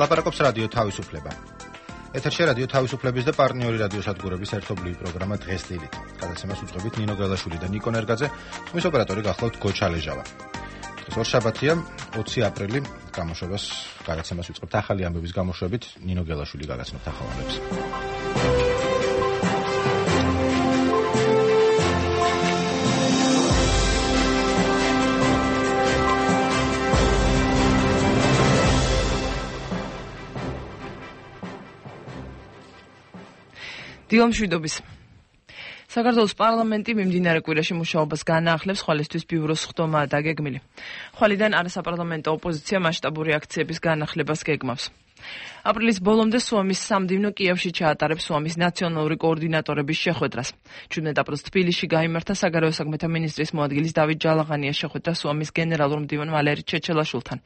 ლაპარაკობს რადიო თავისუფლება. ეთერში რადიო თავისუფლების და პარტნიორი რადიოსადგურების ერთობლივი პროგრამა დღეს დილით. გადაცემას უწყობით ნინო გელაშვილი და ნიკო ნერგაძე, ხმის ოპერატორი გახლავთ გოჩალეჟავა. დღეს ორშაბათია, 20 აპრილი, გამოშვებას გადაცემას ვიწყებთ ახალი ამბების გამოშვებით, ნინო გელაშვილი გაგაცნობთ ახალ ამბებს. დილომშვიდობის. საქართველოს პარლამენტი მიმდინარე კვირაში მუშაობას განაახლებს, ხვალისთვის ბიუროს ხდომაა დაგეგმილი. ხვალიდან არასაპარლამენტო ოპოზიცია მასშტაბური აქციების განახლებას გეგმავს. აპრილის ბოლომდე სუამის სამდივნო კიევში ჩაატარებს სუამის ნაციონალური კოორდინატორების შეხვედრას. 17 აპრილს თბილისში გაიმართა საგარეო საქმეთა მინისტრის მოადგილის დავით ჯალაღანიას შეხვედრა სუამის გენერალურ მდივან ვალერი ჩეჩელაშვილთან.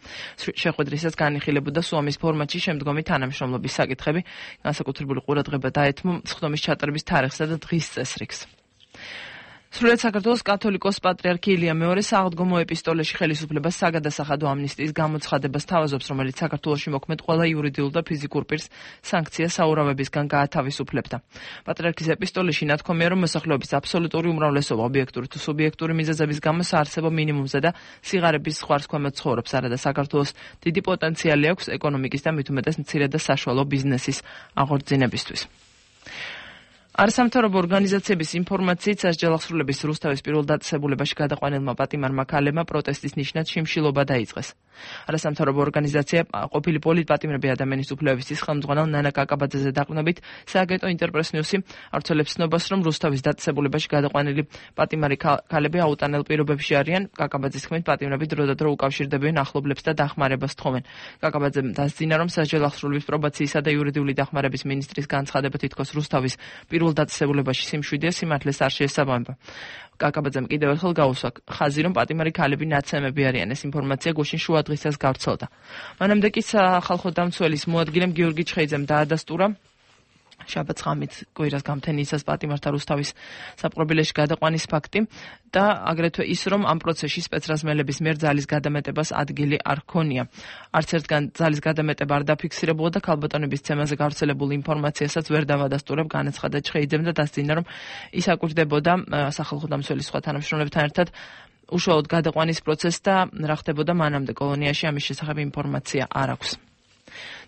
შეხვედრისას განიხილებოდა სუამის ფორმატში შემდგომი თანამშრომლობის საკითხები, განსაკუთრებული ყურადღება დაეთმო სხდომის ჩატარების თარიღსა და დღის წესრიგს. სრულიად საქართველოს კათოლიკოს პატრიარქი ილია მეორე საღდგომო ეპისტოლეში ხელისუფლებას საგადასახადო ამნისტიის გამოცხადებას თავაზობს, რომელიც საქართველოში მოქმედ ყველა იურიდიულ და ფიზიკურ პირს სანქცია საურავებისგან გაათავისუფლებდა. პატრიარქის ეპისტოლეში ნათქვამია, რომ მოსახლეობის აბსოლუტური უმრავლესობა ობიექტური თუ სუბიექტური მიზეზების გამო საარსებო მინიმუმზე და სიღარიბის ზღვარს ქვემოთ ცხოვრობს, არადა საქართველოს დიდი პოტენციალი აქვს ეკონომიკის და მით უმეტეს მცირე და საშუალო ბიზნესის აღორძინებისთვის. არასამთავრობო ორგანიზაციების ინფორმაციით სასჯელახსრულების რუსთავის პირველ დაწესებულებაში გადაყვანილმა პატიმარმა ქალებმა პროტესტის ნიშნად შიმშილობა დაიწყეს. არასამთავრობო ორგანიზაცია ყოფილი პოლიტპატიმრები ადამიანის უფლებების ხელმძღვანელ ნანა კაკაბაძეზე დაყრდნობით სააგენტო ინტერპრეს ნიუსი ავრცელებს ცნობას, რომ რუსთავის დაწესებულებაში გადაყვანილი პატიმარი ქალები აუტანელ პირობებში არიან. კაკაბაძის თქმით, პატიმრები დროდადრო უკავშირდებიან ახლობლებს და დახმარებას თხოვენ. კაკაბაძემ დასძინა, რომ სასჯელახსრულების პრობაციისა და იურიდიული დახმარების მინისტრის განცხადება თითქოს რუსთავის დაწესებულებაში სიმშვიდეა სიმართლეს არ შეესაბამება. კაკაბაძემ კიდევ ერთხელ გაუსვა ხაზი, რომ პატიმარი ქალები ნაცემები არიან. ეს ინფორმაცია გუშინ შუა დღისას გავრცელდა. მანამდე კი სახალხო დამცველის მოადგილემ გიორგი ჩხეიძემ დაადასტურა შაბათს ღამით კვირას გამთენიისას პატიმართა რუსთავის საპყრობილეში გადაყვანის ფაქტი და აგრეთვე ის, რომ ამ პროცესში სპეცრაზმელების მიერ ძალის გადამეტებას ადგილი არ ჰქონია. არც ერთგან ძალის გადამეტება არ დაფიქსირებულა და ქალბატონების ცემაზე გავრცელებულ ინფორმაციასაც ვერ დავადასტურებ, განაცხადა ჩხეიძემ და დასძინა, რომ ის აკვირდებოდა სახალხო დამცველის სხვა თანამშრომლებთან ერთად უშუალოდ გადაყვანის პროცესს და რა ხდებოდა მანამდე კოლონიაში ამის შესახებ ინფორმაცია არ აქვს.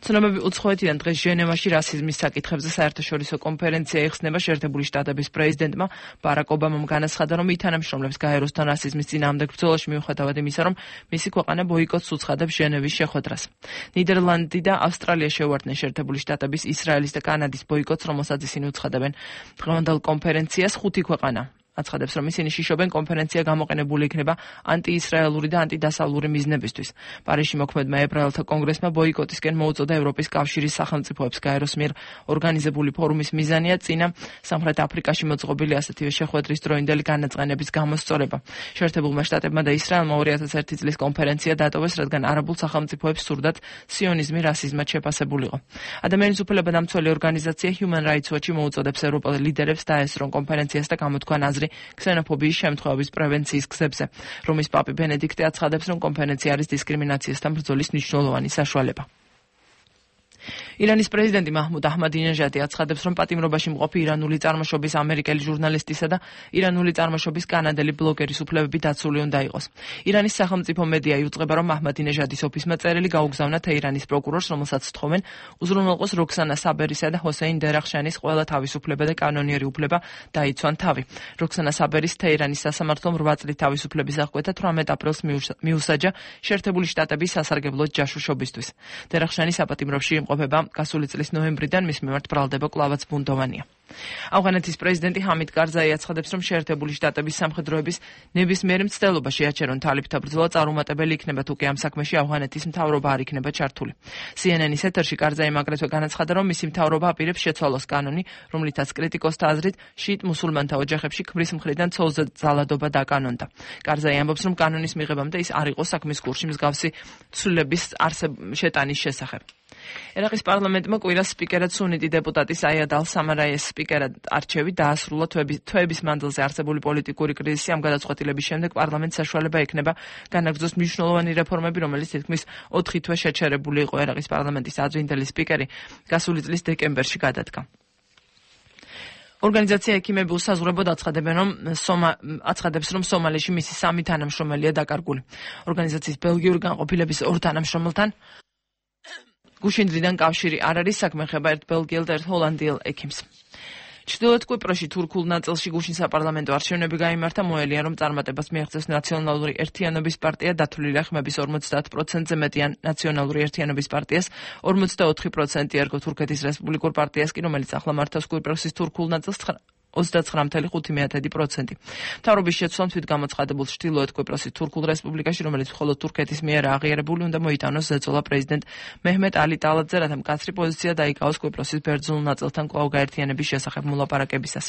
ცნობები უცხოეთიდან დღეს ჟენევაში რასიზმის საკითხებზე საერთაშორისო კონფერენცია იხსნება. შეერთებული შტატების პრეზიდენტმა ბარაკ ობამამ განაცხადა, რომ ის თანამშრომლებს გაეროსთან რასიზმის წინააღმდეგ ბრძოლაში მიუხედავად იმისა, რომ მისი ქვეყანა ბოიკოტს უცხადებს ჟენევის შეხვედრას. ნიდერლანდი და ავსტრალია შეუერთდნენ შეერთებული შტატების, ისრაელის და კანადის ბოიკოტს, რომელსაც ისინი უცხადებენ. დღევანდელ კონფერენციას 5 ქვეყანა აცხადებს, რომ ისინი შიშობენ კონფერენცია გამოყენებული იქნება ანტიისრაელური და ანტიდასავლური მიზნებისთვის. პარიზში მოქმედმა ებრაელთა კონგრესმა ბოიკოტისკენ მოუწოდა ევროპის კავშირის სახელმწიფოებს. გაეროს მიერ ორგანიზებული ფორუმის მიზანია წინა სამხრეთ აფრიკაში მოწყობილი ასეთივე შეხვედრის დროინდელი განაწყენების გამოსწორება. შეერთებულმა შტატებმა და ისრაელმა 2001 წლის კონფერენცია დატოვეს, რადგან არაბულ სახელმწიფოებს სურდათ სიონიზმი რასიზმად შეფასებულიყო. ადამიანის უფლებათა დამცველი ორგანიზაცია Human Rights Watch მოუწოდებს ევროპელ ლიდერებს დაესწრონ კონფერენციას და გამოთქვან აზრი ქსენოფობიის შემთხვევების პრევენციის გზებზე. რომის პაპი ბენედიქტე აცხადებს, რომ კონფერენცია არის დისკრიმინაციასთან ბრძოლის მნიშვნელოვანი საშუალება. ირანის პრეზიდენტი მაჰმუდ აჰმადინეჟადი აცხადებს, რომ პატიმრობაში მყოფი ირანული წარმოშობის ამერიკელი ჟურნალისტისა და ირანული წარმოშობის კანადელი ბლოგერის უფლებები დაცული უნდა იყოს. ირანის სახელმწიფო მედია იუწყება, რომ აჰმადინეჟადის ოფისმა წერილი გაუგზავნა თეირანის პროკურორს, რომელსაც თხოვენ უზრუნველყოს როქსანა საბერისა და ჰოსეინ დერახშანის ყველა თავისუფლება და კანონიერი უფლება დაიცვან თავი. როქსანა საბერის თეირანის სასამართლომ 8 წლის თავისუფლების აღკვეთა 18 აპრილს მიუსაჯა შეერთებული შტატების სასარგებლო ჯაშუშობისთვის. დერახშანი საპატიმროში იმყოფება გასული წლის ნოემბრიდან, მის მიმართ ბრალდება კლავაც ბუნდოვანია. ავღანეთის პრეზიდენტი ჰამიდ კარზაი აცხადებს, რომ შეერთებული შტატების სამხედროების ნებისმიერი მცდელობა შეაჩერონ თალიբთა ბრძოლა წარუმატებელი იქნება, თუ კი ამ საქმეში ავღანეთის მთავრობა არ იქნება ჩართული. CNN-ის ეთერში კარზაიმ აგრეთვე განაცხადა, რომ მისი მთავრობა აპირებს შეცვალოს კანონი, რომლითაც კრიტიკოსთა აზრით შიიტ მუსულმანთა ოჯახებში ქმრის მხრიდან ცოლზე ძალადობა დაკანონდა. კარზაი ამბობს, რომ კანონის მიღებამდე ის არ იყო საქმის კურსში მსგავსი ცვლილების შეტანის შესახებ. ერაყის პარლამენტმა კვირას სპიკერად სუნიტი დეპუტატი საიად ალ-სამარაიეს სპიკერად არჩევი დაასრულა თვეების მანძილზე არსებული პოლიტიკური კრიზისი. ამ გადაწყვეტილების შემდეგ პარლამენტს საშუალება ექნება განაგრძოს მნიშვნელოვანი რეფორმები, რომელიც თითქმის 4 თვე შეჩერებული იყო. ერაყის პარლამენტის ადრინდელი სპიკერი გასული წლის დეკემბერში გადადგა. ორგანიზაცია ექიმები უსაზღვრებოდ აცხადებს, რომ სომალიში მისი 3 თანამშრომელია დაკარგული. ორგანიზაციის ბელგიური განყოფილების 2 თანამშრომელთან გუშინდრიდან კავშირი არ არის, საქმე ეხება ერთ ბელგიელ და ერთ ჰოლანდიელ ექიმს. ჩრდილოეთ კვიპროსში თურქულ ნაწილში გუშინ საპარლამენტო არჩევნები გაიმართა. მოელია, რომ წარმატებას მიაღწევს ნაციონალური ერთიანობის პარტია, დათვლილია ხმების 50%-ზე მეტიან ნაციონალური ერთიანობის პარტიას, 44% ერგო თურქეთის რესპუბლიკურ პარტიას კი, რომელიც ახლა მართავს კვიპროსის თურქულ ნაწილს 29.5%. მთავრობის შეცვლამ თვითგამოცხადებულ ჩრდილოეთ კვიპროსის თურქულ რესპუბლიკაში, რომელიც მხოლოდ თურქეთის მიერ აღიარებული, უნდა მოიტანოს ზეწოლა პრეზიდენტ მეჰმედ ალი ტალატზე, რათა მკაცრი პოზიცია დაიკავოს კვიპროსის ბერძნულ ნაწილთან კვლავ გაერთიანების შესახებ მოლაპარაკებისას.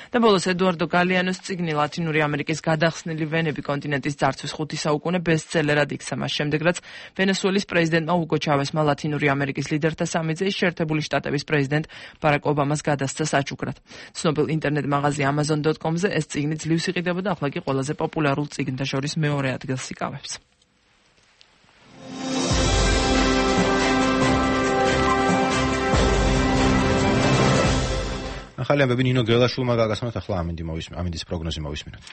და ბოლოს ედუარდო გალიანოს წიგნი ლათინური ამერიკის გადახსნილი ვენები კონტინენტის ძარცვის 5 საუკუნე ბესტსელერად იქცა. მას შემდეგ, რაც ვენესუელის პრეზიდენტმა უგო ჩავესმა ლათინური ამერიკის ლიდერთა სამიძე შეერთებული შტატების პრეზიდენტ ბარაკ ობამას გადასცა საჩუქრად. ცნობილ ინტერნეტ მაღაზია amazon.com-ზე ეს წიგნი ძლივს იყიდებოდა, ახლა კი ყველაზე პოპულარულ წიგნთა შორის მეორე ადგილს იკავებს. ახალი ამბები ნინო გელაშვილმა გაგასმოთ, ახლა ამინდის პროგნოზი მოვისმინოთ.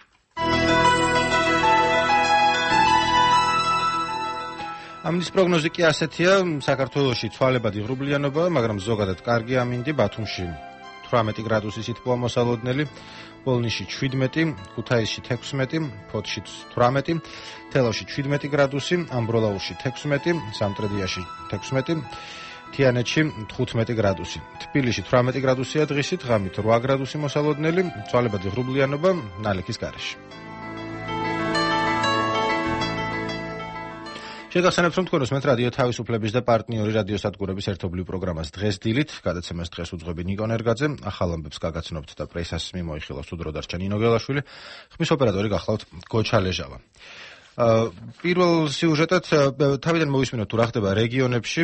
ამინდის პროგნოზი კი ასეთია, საქართველოში ცვალებად იღრუბლიანობა, მაგრამ ზოგადად კარგი ამინდი, ბათუმში 18 გრადუსი სითბოა მოსალოდნელი, პოლნიში 17, ქუთაისში 16, ფოთში 18, თელავში 17 გრადუსი, ამბროლაურში 16, სამტრედიაში 16, თიანეთში 15 გრადუსი. თბილისში 18 გრადუსია დღისით, ღამით 8 გრადუსი მოსალოდნელი, ცვალებადი ღრუბლიანობა ნალექის გარეშე. შეგახსენებთ, რომ თქვენს მეტ რადიო თავისუფლების და პარტნიორი რადიოსადგურების ერთობლივ პროგრამას დღეს დილით, გადაცემას დღეს უძღვები ნიკო ნერგაძე, ახალ ამბებს გაგაცნობთ და პრესას მიმოიხილავს უდრო დარჩა ნინო გელაშვილი, ხმის ოპერატორი გახლავთ გოჩა ლეჟავა. პირველ სიუჟეტად თავიდან მოვისმინოთ თუ რა ხდება რეგიონებში.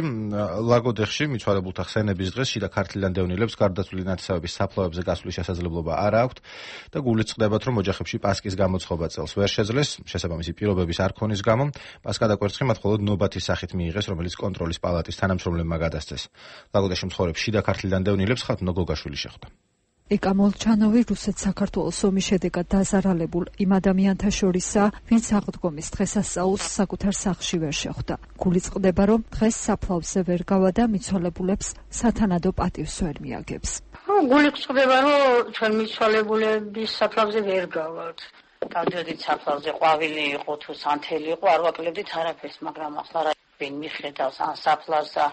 ლაგოდეხში მიცვალებულთა ხსენების დღეს შიდა ქართლიდან დევნილებს გარდაცვლილი ნათესავების საფლავებზე გასვლის შესაძლებლობა არ აქვთ და გულით წყდებათ, რომ ოჯახებში პასკის გამოცხობა წელს ვერ შეძლეს, შესაბამისი პირობების არ ქონის გამო. პასკა და კვერცხი მათ მხოლოდ ნობათის სახით მიიღეს, რომელიც კონტროლის პალატის თანამშრომლებმა გადასცეს. ლაგოდეხში მცხოვრებ შიდა ქართლიდან დევნილებს ხათნო გოგაშვილი შეხვდა. ეკა მოლჩანოვი რუსეთ-საქართველოს ომის შედეგად დაზარალებულ იმ ადამიანთა შორისაა, ვინც აღდგომის დღესასწაულს საკუთარ სახლში ვერ შეხვდა. გულით წყდება, რომ დღეს საფლავზე ვერ გავა და მიცვალებულებს სათანადო პატივს ვერ მიაგებს. გულით წყდება, რომ ჩვენ მიცვალებულების საფლავზე ვერ გავართ. დავდიოდით საფლავზე, ყვავილი იყო თუ სანთელი იყო, არ ვაკლებდით არაფერს, მაგრამ ახლა რა მიხედავს ან საფლავსა.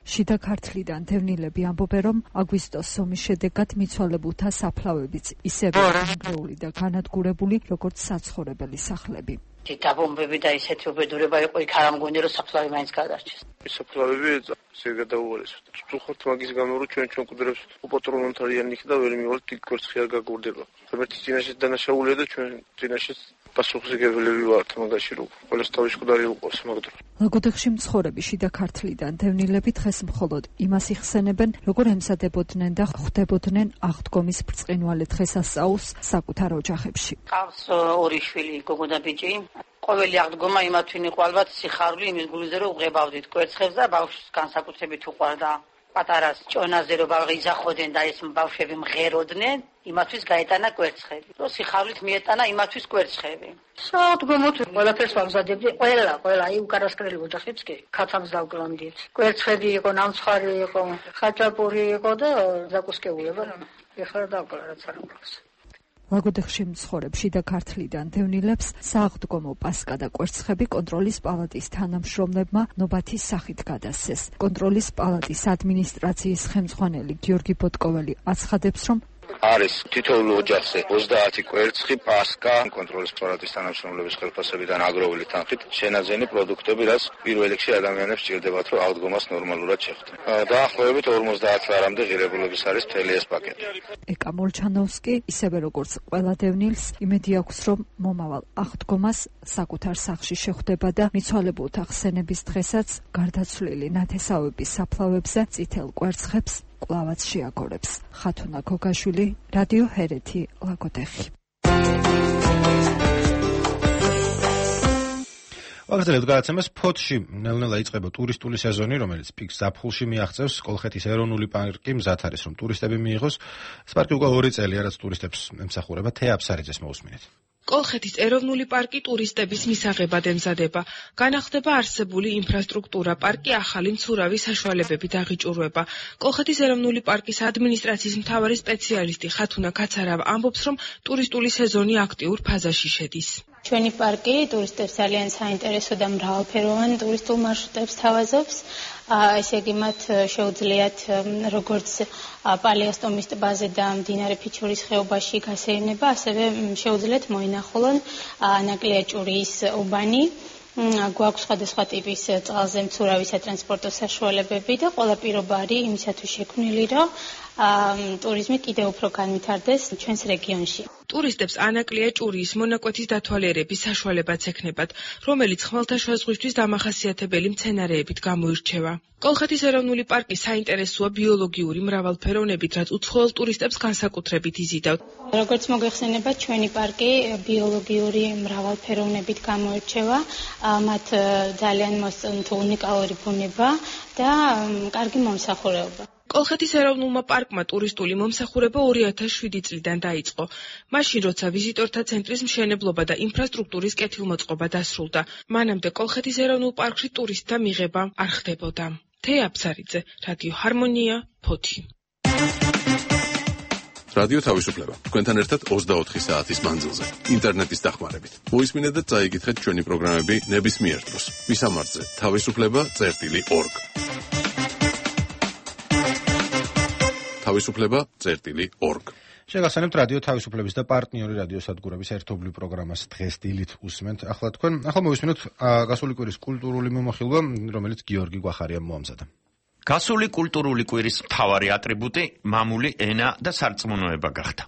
შიდა ქართლიდან დევნილები ამბობენ, რომ აგვისტოს ომის შედეგად მიცვალებულთა საფლავებიც ისევე დანგრეული და განადგურებული, როგორც საცხოვრებელი სახლები. დაბომბები და ისეთი უბედურება იყო, იქ არ ამგონი, რომ საფლავი მაინც გადარჩეს. საფლავები ზეგადაუარესოთ. წუხოთ მაგის გამო, რომ ჩვენ კვადრებს უპატრონოთ არიან იქ და ვერ მივალთ იქ კვერცხი არ გაგურდება. ღმერთის წინაშე დანაშაულია და ჩვენ წინაშე პასუხისმგებლები ვართ მაგაში, რომ ყველას თავის მკვდარი უყოს მაგდრო. ლაგოდეხში მცხოვრები შიდა ქართლიდან დევნილები დღეს მხოლოდ იმას იხსენებენ, როგორ ემზადებოდნენ და ხვდებოდნენ აღდგომის ბრწყინვალე დღესასწაულს საკუთარ ოჯახებში. ყავს 2 შვილი, გოგო და ბიჭი. ყოველი აღდგომა იმათვინ იყო ალბათ სიხარული იმის გულზე, რომ უღებავდით კვერცხებს და ბავშვს განსაკუთრებით უყვარდა. პატარას ჭონაზე რომ ბავშვი იძახოდნენ და ეს ბავშვები მღეროდნენ, იმათთვის გაეტანა კვერცხები. რომ სიხარულით მიეტანა იმათთვის კვერცხები. სააღდგომოთ ყველაფერს ვამზადებდი, ყველა, აი უკანასკნელი ოჯახებს კი ქათამს დავკლამდით. კვერცხები იყო, ნამცხვარი იყო, ხაჭაპური იყო და დაკუსკეულება. ეხლა დავკლა რაც არ მგავს. ლაგოდეხში მცხოვრებ შიდა ქართლიდან დევნილებს სააღდგომო პასკა და კვერცხები კონტროლის პალატის თანამშრომლებმა ნობათის სახით გადასცეს. კონტროლის პალატის ადმინისტრაციის ხელმძღვანელი გიორგი ბოტკოველი აცხადებს, რომ არის თითოეულ ოჯახზე 30 კვერცხი პასკა კონტროლის პალატის თანამშრომლების ხელფასებიდან აგროვილი თანხით შენაძენი პროდუქტები, რაც პირველ რიგში ადამიანებს სჭირდებათ, რომ აღდგომას ნორმალურად შეხვდნენ. დაახლოებით 50 ლარამდე ღირებულების არის მთელი ეს პაკეტი. ეკა მოლჩანოვსკი ისევე როგორც ყველა დევნილს იმედი აქვს, რომ მომავალ აღდგომას საკუთარ სახლში შეხვდება და მიცვალებულთა ხსენების დღესაც გარდაცვლილი ნათესავების საფლავებზე წითელ კვერცხებს კვლავაც შეაგორებს. ხათუნა გოგაშვილი, რადიო ჰერეთი, ლაგოდეხი. ვაგრძელებთ გადაცემას. ფოთში ნელ-ნელა იწყება ტურისტული სეზონი, რომელიც პიკს ზაფხულში მიაღწევს. კოლხეთის ეროვნული პარკი მზად არის, რომ ტურისტები მიიღოს. ეს პარკი უკვე 2 წელია, რაც ტურისტებს ემსახურება. თეა აფსარიძეს მოусმინეთ. კოლხეთის ეროვნული პარკი ტურისტების მისაღებად ემზადება. განახლდება არსებული ინფრასტრუქტურა, პარკი ახალი მცურავი საშუალებებით აღიჭურვება. კოლხეთის ეროვნული პარკის ადმინისტრაციის მთავარი სპეციალისტი ხათუნა კაცარავა ამბობს, რომ ტურისტული სეზონი აქტიურ ფაზაში შედის. ჩვენი პარკი ტურისტებს ძალიან საინტერესო და მრავალფეროვან ტურისტულ მარშრუტებს თავაზობს. ესე იგი მათ შეუძლიათ როგორც პალიასტომის ტბაზე და მდინარე ფიჩურის ხეობაში გასეირნება, ასევე შეუძლიათ მოინახულონ ნაკლია-ჭურიის უბანი. გვაქვს სხვადასხვა ტიპის წყალზე მცურავი სატრანსპორტო საშუალებები და ყველა პირობა არის იმისათვის შექმნილი, რომ ტურიზმი კიდევ უფრო განვითარდეს ჩვენს რეგიონში. ტურისტებს ანაკლია-ჭურიის მონაკვეთის დათვალიერების საშუალებაც ექნებათ, რომელიც ხმელთაშუა ზღვისთვის დამახასიათებელი მცენარეებით გამოირჩევა. კოლხეთის ეროვნული პარკი საინტერესოა ბიოლოგიური მრავალფეროვნებით, რაც უცხოელ ტურისტებს განსაკუთრებით იზიდავთ. როგორც მოგეხსენება, ჩვენი პარკი ბიოლოგიური მრავალფეროვნებით გამოირჩევა, მათ ძალიან მოსწონთ უნიკალური ბუნება და კარგი მომსახურება. კოლხეთის ეროვნულმა პარკმა ტურისტული მომსახურება 2007 წლიდან დაიწყო. მაშინ, როცა ვიზიტორთა ცენტრის მშენებლობა და ინფრასტრუქტურის კეთილმოწყობა დასრულდა, მანამდე კოლხეთის ეროვნულ პარკში ტურისტთა მიღება არ ხდებოდა. თეა აფსარიძე, რადიო ჰარმონია, ფოთი. რადიო თავისუფლება. თქვენთან ერთად 24 საათის მანძილზე, ინტერნეტის დახმარებით. მოისმინეთ და წაიკითხეთ ჩვენი პროგრამები ნებისმიერ დროს. მისამართზე თავისუფლება.org. თავისუფლება.org. შეგახსენებთ რადიო თავისუფლების და პარტნიორი რადიო სადგურების ერთობლივ პროგრამას დღეს დილით უსმენთ. ახლა მოვისმინოთ გასული კვირის კულტურული მიმოხილვა, რომელიც გიორგი გვახარიამ მოამზადა. გასული კულტურული კვირის მთავარი ატრიბუტი მამული ენა და სარწმუნოება გახდა.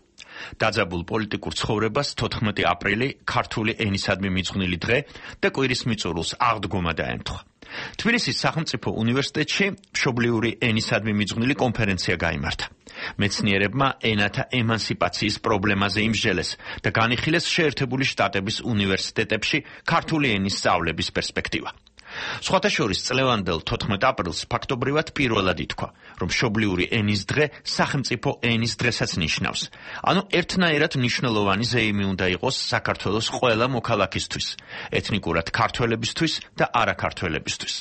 დაძაბულ პოლიტიკურ ცხოვრებას 14 აპრილი ქართული ენისადმი მიძღვნილი დღე და კვირის მიწურულს აღდგომა დაემთხვა. თბილისის სახელმწიფო უნივერსიტეტში მშობლიური ენისადმი მიძღვნილი კონფერენცია გაიმართა. მეცნიერებმა ენათა ემანსიპაციის პრობლემაზე იმსჯელეს და განიხილეს შეერთებული შტატების უნივერსიტეტებში ქართული ენის სწავლების პერსპექტივა. სხვათა შორის წლევანდელ 14 აპრილს ფაქტობრივად პირველად ითქვა, რომ მშობლიური ენის დღე სახელმწიფო ენის დღესაც ნიშნავს. ანუ ერთნაირად მნიშვნელოვანი ზეიმი უნდა იყოს საქართველოს ყველა მოქალაქისთვის, ეთნიკურად ქართველებისთვის და არაქართველებისთვის.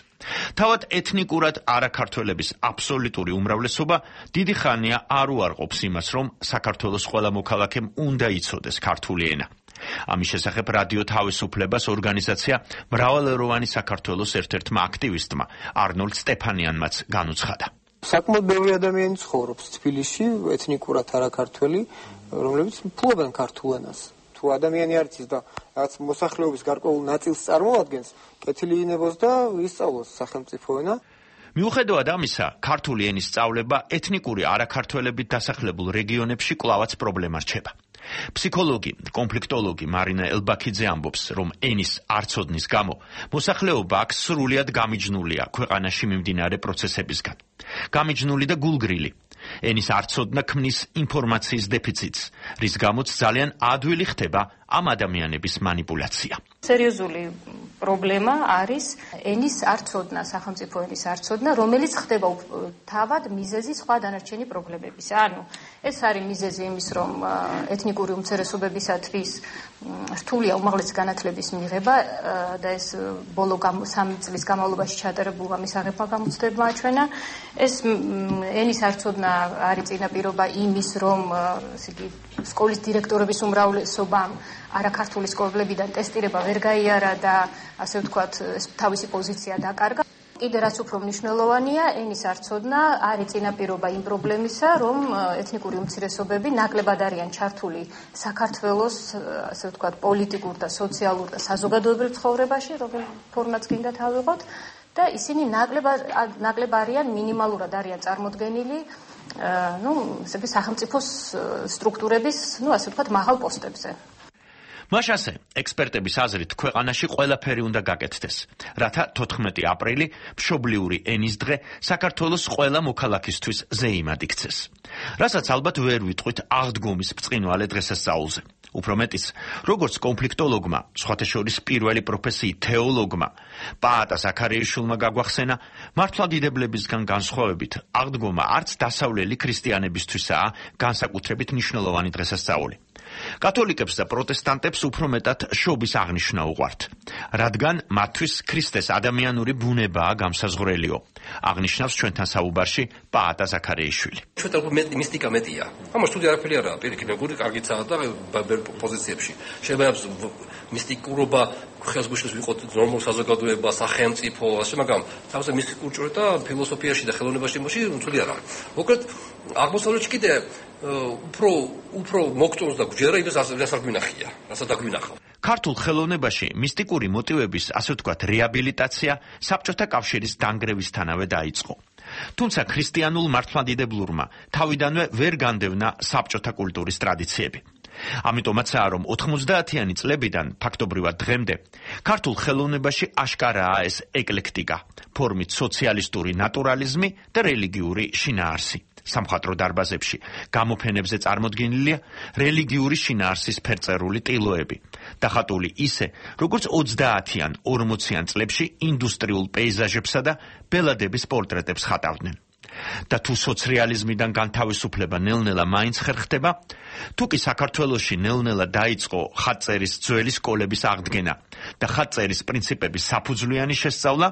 თავად ეთნიკურად არაქართველების აბსოლუტური უმრავლესობა დიდი ხანია არ უარყოფს იმას, რომ საქართველოს ყველა მოქალაქემ უნდა იცოდეს ქართული ენა. ამის შესახებ რადიო თავისუფლებას ორგანიზაცია მრავალეროვანი საქართველოს ერთ-ერთმა აქტივისტმა არნოლდ სტეფანიანმაც განუცხადა. საკმაოდ ბევრი ადამიანი ცხოვრობს თბილისში, ეთნიკურად არაქართველი, რომლებიც ფლობენ ქართულ ენას. თუ ადამიანი არ იცის და რაღაც მოსახლეობის გარკვეულ ნაწილს წარმოადგენს, კეთილი იქნებოს და ისწავლოს სახელმწიფო ენა. მიუხედავად ამისა, ქართული ენის სწავლება ეთნიკური არაქართველებით დასახლებულ რეგიონებში კვლავაც პრობლემა რჩება. ფსიქოლოგი, კონფლიქტოლოგი მარინა ელბაქიძე ამბობს, რომ ენის არცოდნის გამო მოსახლეობა აქ სრულიად გამიჯნულია ქვეყანაში მიმდინარე პროცესებისგან. გამიჯნული და გულგრილი. ენის არცოდნა ქმნის ინფორმაციის დეფიციტს, რის გამოც ძალიან ადვილი ხდება ამ ადამიანების манипуляция. სერიოზული პრობლემა არის ენის არცოდნა, სახელმწიფო ენის არცოდნა, რომელიც ხდება თავად მიზეზი სხვა დანარჩენი პრობლემებისა. ანუ ეს არის მიზეზი იმის, რომ ეთნიკური უმცირესობებისათვის რთულია უმაღლესი განათლების მიღება და ეს ბოლო 3 წლის განმავლობაში ჩატარებულმა მისაღებმა გამოცდებმა აჩვენა. ეს ენის არცოდნა არის წინაპირობა იმის, რომ სკოლის დირექტორების უმრავლესობამ არაქართული სკოლებიდან ტესტირება ვერ გაიარა და ასე ვთქვათ, თავისი პოზიცია დაკარგა. კიდე რაც უფრო მნიშვნელოვანია, ენის არცოდნა არის წინაპირობა იმ პრობლემისა, რომ ეთნიკური უმცირესობები ნაკლებად არიან ჩართული საქართველოს, ასე ვთქვათ, პოლიტიკურ და სოციალურ და საზოგადოებრივ ცხოვრებაში, რომელ ფორმატს გინდათ ავიღოთ, და ისინი ნაკლებ არიან, მინიმალურად არიან წარმოდგენილი სახელმწიფოს სტრუქტურების, ასე ვთქვათ, მაღალ პოსტებზე. მას ასე, ექსპერტების აზრით, ქვეყანაში ყველაფერი უნდა გაკეთდეს, რათა 14 აპრილი, მშობლიური ენის დღე, საქართველოს ყველა მოქალაქისთვის ზეიმად იქცეს. რასაც ალბათ ვერ ვიტყვით აღდგომის ბრწყინვალე დღესასწაულზე. უფრო მეტიც, როგორც კონფლიქტოლოგმა, სხვათა შორის პირველი პროფესიით თეოლოგმა, პაატა ზაქარიაშვილმა გაგვახსენა, მართლმადიდებლებისგან განსხვავებით, აღდგომა არც დასავლელი ქრისტიანებისთვისაა განსაკუთრებით მნიშვნელოვანი დღესასწაული. კათოლიკებს და პროტესტანტებს უფრო მეტად შობის აღნიშვნა უყვართ, რადგან მათთვის ქრისტეს ადამიანური ბუნებაა გამსაზღვრელიო, აღნიშნავს ჩვენთან საუბარში პაატა ზაქარიაშვილი. ჩვენთან მისტიკა მეტია. ამას თუ არაფერი არაა, პირიქით, მეგორი კარგიცაა და პოზიციებში. შეიძლება მისტიკურობა ხელს გუშლის ვიყოთ ნორმალ საზოგადოება, სახელმწიფო, ასე მაგრამ თავზე მისტიკურ ჭრე და ფილოსოფიაში და ხელოვნებაში უცვლელი არა. მოკლედ აღმოსავლეთში კიდე უფრო მოგწონს და გვჯერა იმას რასაც გვინახია, რასაც დაგვინახავ. ქართულ ხელოვნებაში მისტიკური მოტივების, ასე ვთქვათ, რეაბილიტაცია საბჭოთა კავშირის დანგრევისთანავე დაიწყო. თუმცა ქრისტიანულ მართლმადიდებლურმა თავიდანვე ვერ განდევნა საბჭოთა კულტურის ტრადიციები. ამიტომაცაა, რომ 90-იანი წლებიდან ფაქტობრივად დღემდე ქართულ ხელოვნებაში აშკარაა ეს ეკლექტიკა, ფორმით სოციალისტური ნატურალიზმი და რელიგიური შინაარსი. სამხატვრო დარბაზებში გამოფენებზე წარმოდგენილია რელიგიური შინაარსის ფერწერული ტილოები, დახატული ისე, როგორც 30-იან, 40-იან წლებში ინდუსტრიულ პეიზაჟებსა და ბელადების პორტრეტებს ხატავდნენ. და თუ სოციალიზმიდან განთავისუფლება ნელ-ნელა მაინც ხერხდება, თუ კი საქართველოში ნელ-ნელა დაიწყო ხატწერის ძველი სკოლების აღდგენა და ხატწერის პრინციპების საფუძვლიანი შესწავლა,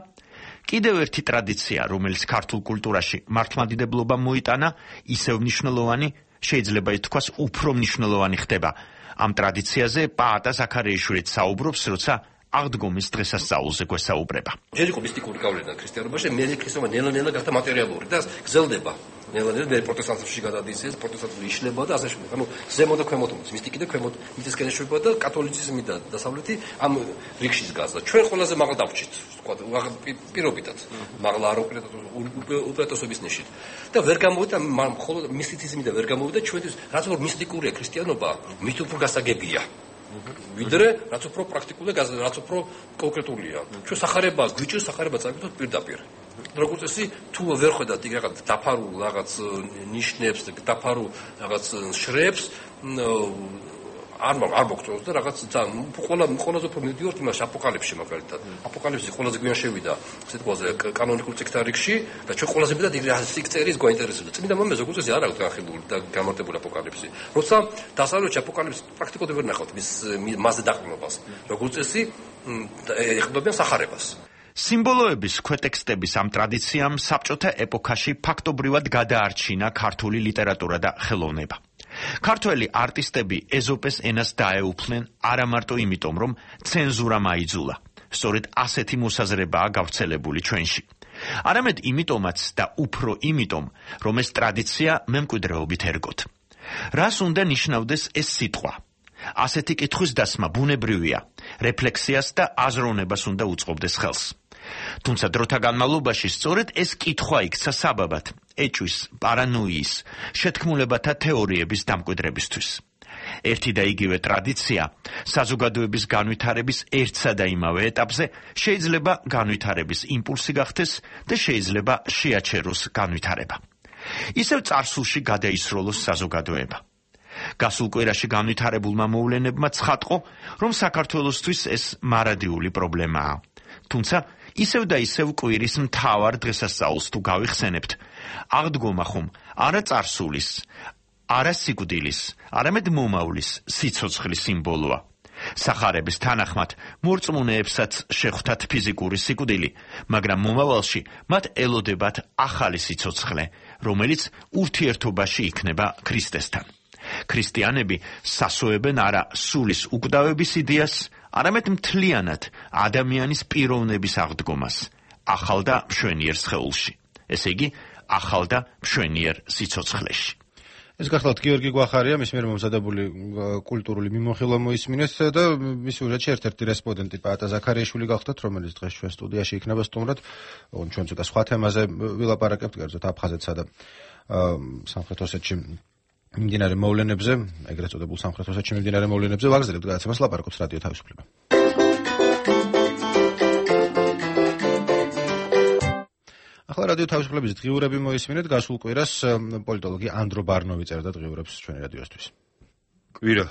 კიდევ ერთი ტრადიცია, რომელიც ქართულ კულტურაში მართლმადიდებლობამ მოიტანა, ისევ მნიშვნელოვანი, შეიძლება ითქვას უფრო მნიშვნელოვანი ხდება. ამ ტრადიციაზე პაატა ზაქარიაშვილიც საუბრობს, როცა აღდგომის დღესასწაულზე გვესაუბრება. ჯერ იყო მისტიკური გავლენა ქრისტიანობაში, მე ქრისტიანობა ნელა-ნელა გახდა მატერიალური და გრძელდება. ნელა-ნელა მე პროტესტანტებში გადადის ეს, პროტესტანტული იშლება და ასე შემდეგ. ანუ ზემო და ქვემოთ მოდის, მისტიკი და ქვემოთ მიწისკენ ეშვება და კათოლიციზმი და დასავლეთი ამ რიგში გაზდა. ჩვენ ყველაზე მაღალ დავჭით, თქვა პირობითად. მაღლა არ უპირატესობის ნიშით. და ვერ გამოვიდა მხოლოდ მისტიციზმი და ვერ გამოვიდა ჩვენთვის, რაც უფრო მისტიკურია ქრისტიანობა, მით უფრო გასაგებია. ვიდრე რაც უფრო პრაქტიკულია, რაც უფრო კონკრეტულია. ჩვენ სახარება გვიჭირს, სახარება წავიდოთ პირდაპირ. როგორც წესი, თუ ვერ ხედავთ იქ რაღაც დაფარულ რაღაც ნიშნებს, დაფარულ რაღაც შრეებს, არ მოგწონს და რაღაც ყველაზე უფრო მივდივართ იმას აპოკალიფსში მაგალითად. აპოკალიფსი ყველაზე გვიან შევიდა, ესე თქვაზე, კანონიკურ წიგნთა რიგში და ჩვენ ყველაზე მეტად იქ სიკწერის გვაინტერესებდა. წმინდა მამაზე როგორც წესი არ აქვს განხილული და გამარტებული აპოკალიფსი. როცა დასავლეთში აპოკალიფსი პრაქტიკულად ვერ ნახავთ მასზე დაყრდნობას. როგორც წესი, ეხებიან სახარებას. სიმბოლოების ქვეტექსტების ამ ტრადიციამ საბჭოთა ეპოქაში ფაქტობრივად გადაარჩინა ქართული ლიტერატურა და ხელოვნება. ქართველი არტისტები ეზოპეს ენას დაეუფლნენ არა მარტო იმიტომ, რომ ცენზურა მაიძულა. სწორედ ასეთი მოსაზრებაა გავრცელებული ჩვენში. არამედ იმიტომაც და უფრო იმიტომ, რომ ეს ტრადიცია მემკვიდრეობით ერგოთ. რას უნდა ნიშნავდეს ეს სიტყვა? ასეთი კითხვის დასმა ბუნებრივია, რეფლექსიას და აზროვნებას უნდა უწყობდეს ხელს. თუმცა დროთა განმავლობაში სწორედ ეს კითხვა იქცა საბაბად ეჭვის, პარანოიის, შეთქმულებათა თეორიების დამკვიდრებისთვის. ერთი და იგივე ტრადიცია საზოგადოების განვითარების ერთსა და იმავე ეტაპზე შეიძლება განვითარების იმპულსი გახდეს და შეიძლება შეაჩეროს განვითარება. ისევ წარსულში გადაისროლოს საზოგადოება. გასულ კვირაში განვითარებულმა მოვლენებმა ცხადყო, რომ საქართველოსთვის ეს მარადიული პრობლემაა. თუმცა ისევ და ისევ კვირის მთავარ დღესასწაულს თუ გავიხსენებთ, აღდგომა ხომ არა წარსულის, არა სიკვდილის, არამედ მომავლის, სიცოცხლის სიმბოლოა. სახარების თანახმად მორწმუნეებსაც შეხვდათ ფიზიკური სიკვდილი, მაგრამ მომავალში მათ ელოდებათ ახალი სიცოცხლე, რომელიც ურთიერთობაში იქნება ქრისტესთან. ქრისტიანები სასოებენ არა სულის უკვდავების იდეას, არამედ მთლიანად ადამიანის პიროვნების აღდგომას, ახალ და მშვენიერ სხეულში. ესე იგი, ახალ და მშვენიერ სიცოცხლეში. ეს გახლავთ გიორგი გვახარია, მის მიერ მომზადებული კულტურული მიმოხილვა მოისმინეს და მის ურეთში ერთ-ერთი რესპონდენტი პაატა ზაქარიაშვილი გახლავთ, რომელიც დღეს ჩვენ სტუდიაში იქნება სტუმრად. ჩვენ ცოტა სხვა თემაზე ვილაპარაკებთ, კერძოდ აფხაზეთსა და სამხრეთ ოსეთში მიმდინარე მოვლენებზე, ეგრეთ წოდებულ სამხრეთ ოსეთში მიმდინარე მოვლენებზე ვაგრძელებთ გადაცემას ლაპარაკობს რადიო თავისუფლება. ახლა რადიო თავისუფლების დღიურები მოისმინეთ. გასულ კვირას პოლიტოლოგი ანდრო ბარნოვი წერდა დღიურებს ჩვენი რადიოსთვის. კვირა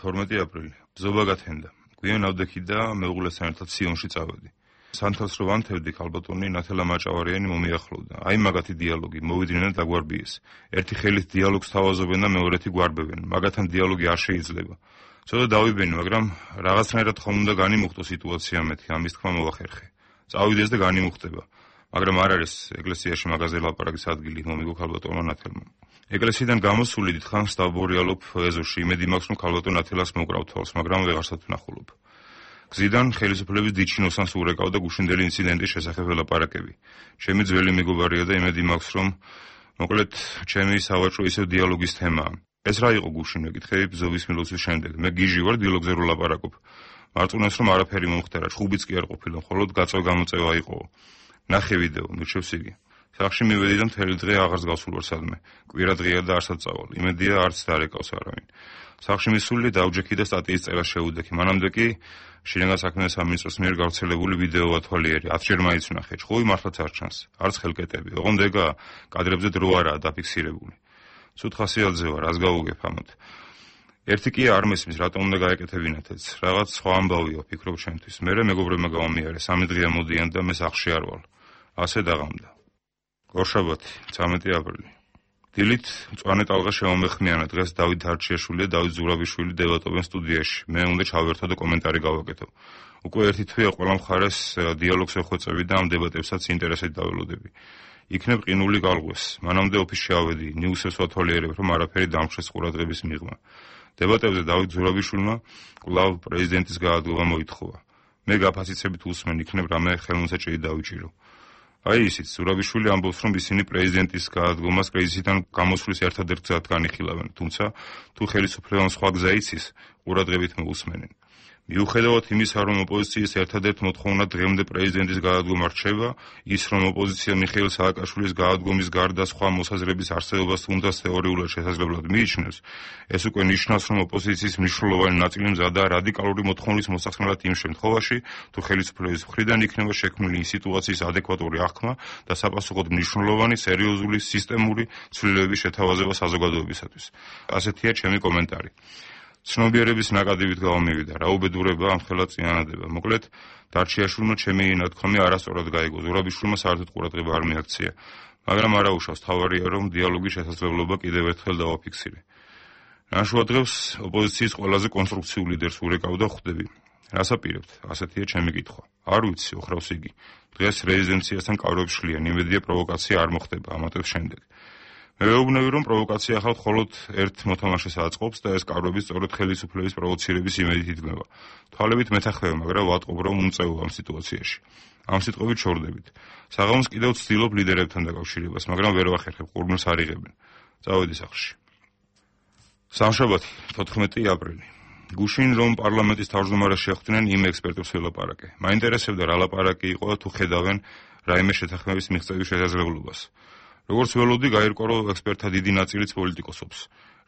12 აპრილი. ბზობა გათენდა. გვიან ავდექი და მეუღლესთან ერთად სიონში წავედი. სანთელს რო ვანთევდი, ქალბატონი ნათელა მაჭავარიანი მომიახლოვდა. აი მაგათი დიალოგი, მოვიდნენ და დაგვარბიეს. ერთი ხელით დიალოგს თავაზობენ და მეორეთი გვარბებენ. მაგათთან დიალოგი არ შეიძლება. ცოტა დავიბენი, მაგრამ რაღაცნაირად ხომ უნდა განიმუხტო სიტუაცია მეთქი, ამის თქმა მოვახერხე. წავიდეს და განიმუხტება. მაგრამ არ არის ეკლესიაში მაგაზე ლაპარაკის ადგილი, მომიგო ქალბატონმა ნათელმა. ეკლესიიდან გამოსული დიდხანს დავბორიალობ ეზოში, იმედი მაქვს, რომ ქალბატონ ნათელას მოკრავ თვალს, მაგრამ ვეღარსად ვნახულობ. გზიდან ხელისუფლების დიჩინოსანს ურეკავდა გუშინდელი ინციდენტის შესახებ ლაპარაკები. ჩემი ძველი მეგობარია და იმედი მაქვს, რომ მოკლედ ჩემი სავაჭრო ისევ დიალოგის თემაა. ეს რა იყო გუშინ მეკითხები ბზოვის მილოცვის შემდეგ. მე გიჟი ვარ დიალოგზე რო ლაპარაკობ. მარწუნეს რომ არაფერი მომხდარა, ჩხუბიც კი არ ყოფილა, მხოლოდ გაწვა-გამოწევა იყო. ნახე ვიდეო, მირჩევს იგი. სახში მივედი და მთელი დღე აღარს გავსულ ვარ სადმე. კვირა დღეა და არსად წავალ. იმედია არც დარეკავს არავინ. სახში მისული დაუჯექი და სტატიის წერა შეუდექი. მანამდე კი შინაგან საქმეთა სამინისტროს მიერ გავრცელებული ვიდეო ათვალიერი 10-ჯერ მაინც ვნახე. ჩხუბი მართლაც არ ჩანს. არც ხელკეტები. ოღონდ ეგა კადრებზე დრო არაა დაფიქსირებული. ცუდ ხასიათზე ვარ, რას გავუგებ ამათ. ერთი კი არ მესმის, რატომ უნდა გაეკეთებინათ ეს. რაღაც სხვა ამბავია, ფიქრობ ჩემთვის. მერე მეგობრებმა გავამიარე, 3 დღეა მოდიან და მე სახლში არ ვალ. ასე დაღამდა. ორშაბათი, 13 აპრილი. დილით მწვანე ტალღა შემომეხმიანა. დღეს დავით არჩიაშვილი და დავით ზურაბიშვილი დებატობენ სტუდიაში. მე უნდა ჩავერთო და კომენტარი გავაკეთო. უკვე ერთი თვეა ყველა მხარეს დიალოგს ეხვეწები და ამ დებატებსაც ინტერესით დაველოდები. იქნებ ყინული გალღვეს. მანამდე ოფისში ავედი, ნიუსებს ვათვალიერებ, რომ არაფერი დამხშეს ყურადღების მიღმა. დებატებზე დავით ზურაბიშვილმა კვლავ პრეზიდენტის გაადგომა მოითხოვა. მე გაფასიცებით უსმენ, იქნებ რამე ხელმოსაჭრელი დავიჭირო. აი ისიც ზურაბიშვილი ამბობს, რომ ისინი პრეზიდენტის გაადგომას კრიზისიდან გამოსვლის ერთადერთ გზად განიხილავენ, თუმცა თუ ხელისუფლებამ სხვა გზა იცის, ყურადღებით მოусმენენ. მიუხედავად იმისა, რომ ოპოზიციის ერთადერთ მოთხოვნა დღემდე პრეზიდენტის გაადგომა რჩება, ის რომ ოპოზიცია მიხეილ სააკაშვილის გაადგომის გარდა სხვა მოსაზრების არსებობას თუნდაც თეორიულად შესაძლებლად მიიჩნევს, ეს უკვე ნიშნავს, რომ ოპოზიციის მნიშვნელოვანი ნაწილი მზადაა რადიკალური მოთხოვნის მოსახსნელად იმ შემთხვევაში, თუ ხელისუფლების მხრიდან იქნება შექმნილი სიტუაციის ადეკვატური აღქმა და sapasukod მნიშვნელოვანი სერიოზული სისტემური ცვლილებების შეთავაზება საზოგადოებისათვის. ასეთია ჩემი კომენტარი. ცნობიერების ნაკადივით გავამივიდა, რა უბედურება ამ ხელად წინანადება. მოკლედ, დარჩიაშვილმა ჩემი ნათქვამი არასწორად გაიგო. ზურაბიშვილმა საერთოდ ყურადღება არ მიაქცია, მაგრამ არაუშავს, თავარია, რომ დიალოგის შესაძლებლობა კიდევ ერთხელ დავაფიქსირე. ნაშუა დღეს ოპოზიციის ყველაზე კონსტრუქციულ ლიდერს ურეკავ და ხვდები. რას აპირებთ? ასეთია ჩემი კითხვა. არ ვიცი, ოხრავს იგი. დღეს რეზიდენციასთან კავშირებს შლიან, იმედია პროვოკაცია არ მოხდება ამატებს შემდეგ. მე ვეუბნები, რომ პროვოკაცია ახალ მხოლოდ ერთ მოთამაშეს აწყობს და ეს კავშირები სწორედ ხელისუფლების პროვოცირების იმედით იდგმება. თვალებით მეთანხმება, მაგრამ ვატყობ, რომ უმწევა ამ სიტუაციაში. ამ სიტყვებით შორდებით. საღამოს კიდევ ვცდილობ ლიდერებთან დაკავშირებას, მაგრამ ვერ ვახერხებ, ყურმილს არ იღებენ. წავედი სახლში. სამშაბათი, 14 აპრილი. გუშინ რომ პარლამენტის თავმჯდომარეს შეხვდნენ, იმ ექსპერტებს ველაპარაკე. მაინტერესებდა რა ლაპარაკი იყო და თუ ხედავენ რაიმე შეთანხმების მიღწევის შესაძლებლობას. როგორც ველოდი, გაირკვა, რომ ექსპერტთა დიდი ნაწილიც პოლიტიკოსობს.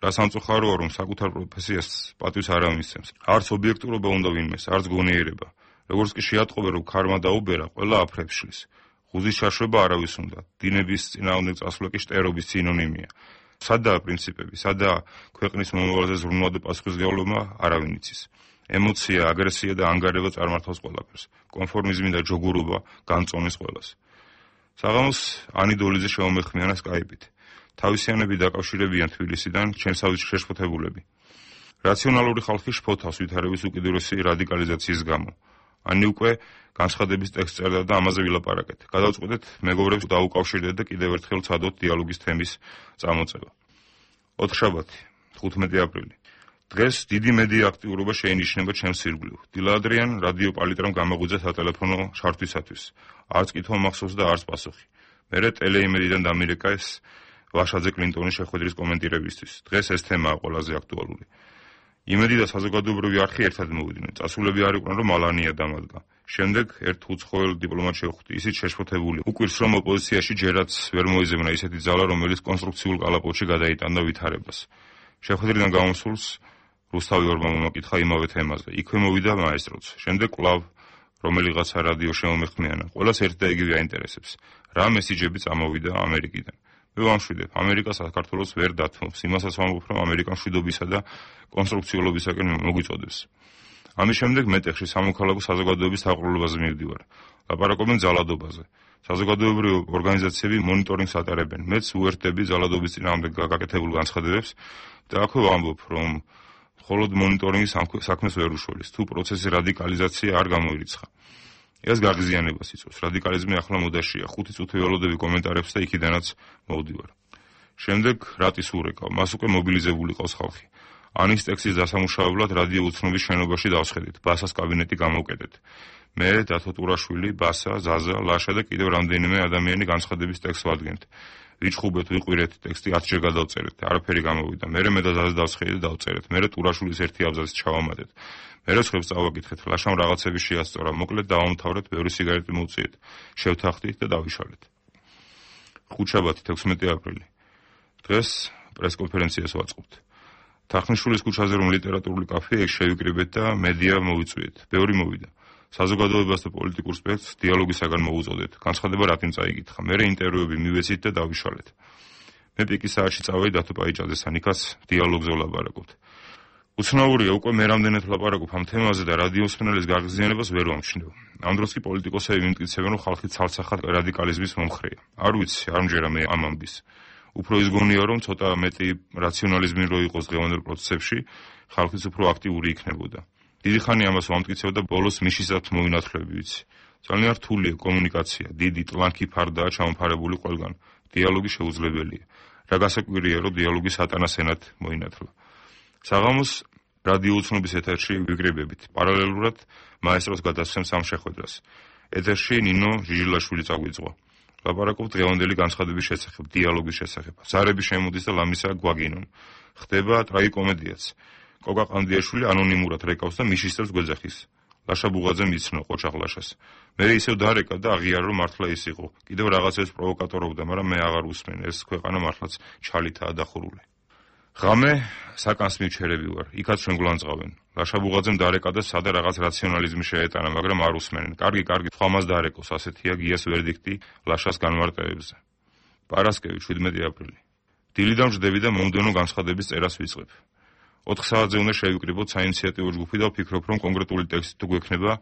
რა სამწუხაროა, რომ საკუთარ პროფესიას პატივს არ ამისცემს. არც ობიექტურობა უნდა ვინმეს, არც გონიერება. როგორც კი შეატყობენ, რომ ქარმა დაუბერა, ყველა აფრებს შლის. ღუზის შაშობა არავის უნდა. დინების წინააღმდეგ წასვლა კი შტერობის სინონიმია. სადაა პრინციპები, სადაა ქვეყნის მომავალზე ზრუნვა და პასუხისმგებლობა, არავინ იცის. ემოცია, აგრესია და ანგარება წარმართავს ყველაფერს. კონფორმიზმი და ჯოგურობა განწონეს ყველას. საღამოს ანი დოლიძე შემომეხმიანა სკაიპით. თავისიანები დაკავშირებიან თბილისიდან ჩემსავით შეშფოთებულები. რაციონალური ხალხი შფოთავს ვითარების უკიდურესი რადიკალიზაციის გამო. ანი უკვე განცხადების ტექსტს წერდა და ამაზე ვილაპარაკეთ. გადავწყვეტეთ მეგობრებს დაუკავშირდეთ და კიდევ ერთხელ ვცადოთ დიალოგის თემის წამოწევა. ოთხშაბათი, 15 აპრილი. დღეს დიდი მედია აქტიურობა შეინიშნება ჩემს ირგვლივ. დილადრიან რადიო პალიტრამ გამაღვიძა სატელეფონო შართვისათვის. არც კითხვა მახსოვს და არც პასუხი. მერე ტელეიმედიდან დამირეკა ეს ვაშაძე კლინტონის შეხვედრის კომენტირებისთვის. დღეს ეს თემაა ყველაზე აქტუალური. იმედი და საზოგადოებრივი არხი ერთად მოვიდნენ. წასულები არ იყვნენ, რომ ალანია დამადგა. შემდეგ ერთ უცხოელ დიპლომატს შევხვდი, ისიც შეშფოთებული. უკვირს რომ ოპოზიციაში ჯერაც ვერ მოიზებნა ისეთი ძალა, რომელიც კონსტრუქციულ კალაპოტში გადაიტანდა ვითარებას. შეხვედრიდან გამოსულს რუსთავი ორმა მომაკითხა იმავე თემაზე. იქვე მოვიდა მაესტროც. შემდეგ კვლავ რომელიღაცა რადიო შემომეხმიანა. ყველას ერთ და იგივე აინტერესებს. რა მესიჯები წამოვიდა ამერიკიდან. მე ვამშვიდებ, ამერიკა საქართველოს ვერ დათმობს. იმასაც ვამბობ, რომ ამერიკა მშვიდობისა და კონსტრუქციულობისაკენ მოგვიწოდებს. ამის შემდეგ მეტეხში სამოქალაქო საზოგადოების დაყრდნობაზე მივდივარ. ლაპარაკობენ ძალადობაზე. საზოგადოებრივი ორგანიზაციები მონიტორინგს ატარებენ. მეც უერთდები ძალადობის წინააღმდეგ გაკეთებულ განცხადებებს და აქვე ვამბობ, რომ მხოლოდ მონიტორინგი საქმეს ვერ უშველის, თუ პროცესის რადიკალიზაცია არ გამოირიცხა. ეს გაღიზიანებას იწვევს. რადიკალიზმი ახლა მოდაშია. 5 წუთი ველოდები კომენტარებს და იქიდანაც მოვდივარ. შემდეგ რატის ურეკავ, მას უკვე მობილიზებული ყავს ხალხი. ანის ტექსტის დასამუშავებლად რადიო უცნობის შენობაში დავსხედით, ბასას კაბინეტი გამოვკეტეთ. მე, დათო ტურაშვილი, ბასა, ზაზა, ლაშა და კიდევ რამდენიმე ადამიანი განცხადების ტექსტს ვადგენთ. ვიჩხუბეთ, ვიყვირეთ, ტექსტი 10 ჯერ გადავწერეთ, არაფერი გამოვიდა. მერე მე და ზაზა დავსხედით და დავწერეთ. მერე ტურაშვილის ერთი აბზაცი ჩავამატეთ. მერე ხვებს წავაკითხეთ, ლაშამ რაღაცები შეასწორა, მოკლედ დავამთავრეთ, ბევრი სიგარეტი მოვწიეთ, შევთანხმდით და დავიშალეთ. ხუთშაბათი 16 აპრილი. დღეს პრესკონფერენციას ვაწყობთ. თახნიშვილის ქუჩაზე რომ ლიტერატურული კაფე ეგ შევიკრიბეთ და მედია მოვიწვიეთ. ბევრი მოვიდა. საზოგადოებას და პოლიტიკურ სპექტრს დიალოგისაგან მოუწოდეთ. განცხადება რატომ წაიკითხა. მერე ინტერვიუები მივეცით და დავიშალეთ. მე პიკის საათში წავედი დათო პაიჭაძესთან, იქაც დიალოგზე ვლაპარაკობთ. უცნაურია, უკვე მე რამდენად ვლაპარაკობ ამ თემაზე და რადიოსმენელის გაღიზიანებას ვერ ვამჩნევ. ამ დროს კი პოლიტიკოსები მიმტკიცებენ, რომ ხალხი ცალსახად რადიკალიზმის მომხრეა. არ ვიცი, არ მჯერა მე ამ ამბის. უფრო ის გონია, რომ ცოტა მეტი რაციონალიზმი რო იყოს დღევანდელ პროცესებში, ხალხიც უფრო აქტიური იქნებოდა. დიდი ხანი ამას ვამტკიცებ და ბოლოს მიშისად მოვინათლები ვიცი. ძალიან რთულია კომუნიკაცია, დიდი ტლანქი ფარდაა ჩამოფარებული ყველგან. დიალოგი შეუძლებელია. რა გასაკვირია, რომ დიალოგი სატანას ენად მოინათლა. საღამოს რადიო უცნობის ეთერში ვიკრიბებით. პარალელურად მაესტროს გადასცემს ამ შეხვედრას. ეთერში ნინო ჟიჟილაშვილი წაგვიძღვა. ლაპარაკობთ დღევანდელი განცხადების შესახებ, დიალოგის შესახებ. ზარები შემოდის და ლამისა გვაგინონ. ხდება ტრაგიკომედიაც. კოკა ყანდიაშვილი ანონიმურად რეკავს და მიშისებს გვეძახის. ლაშა ბუღაძე მიცნო ყოჩაღლაშას. მე ისევ დარეკა და აღიარა რომ მართლა ის იყო. კიდევ რაღაცებს პროვოკატორობდა, მაგრამ მე აღარ უსმენ. ეს ქვეყანა მართლაც ჩალითაა დახურული. ღამე საკანს მივჩერები ვარ. იქაც ჩვენ გულანძღავენ. ლაშა ბუღაძემ დარეკა და სადა რაღაც რაციონალიზმი შეეტანა, მაგრამ არ უსმენენ. კარგი, ხომას დარეკოს, ასეთია გიას ვერდიქტი ლაშას განმარტებებზე. პარასკევი 17 აპრილი. დილიდან ვждები და მომდევნო განცხადების წერას ვიწყებ. 4 საათზე უნდა შევიკრიბოთ საინიციატივო ჯგუფი და ვფიქრობ, რომ კონკრეტული ტექსტი თუ გვექნება,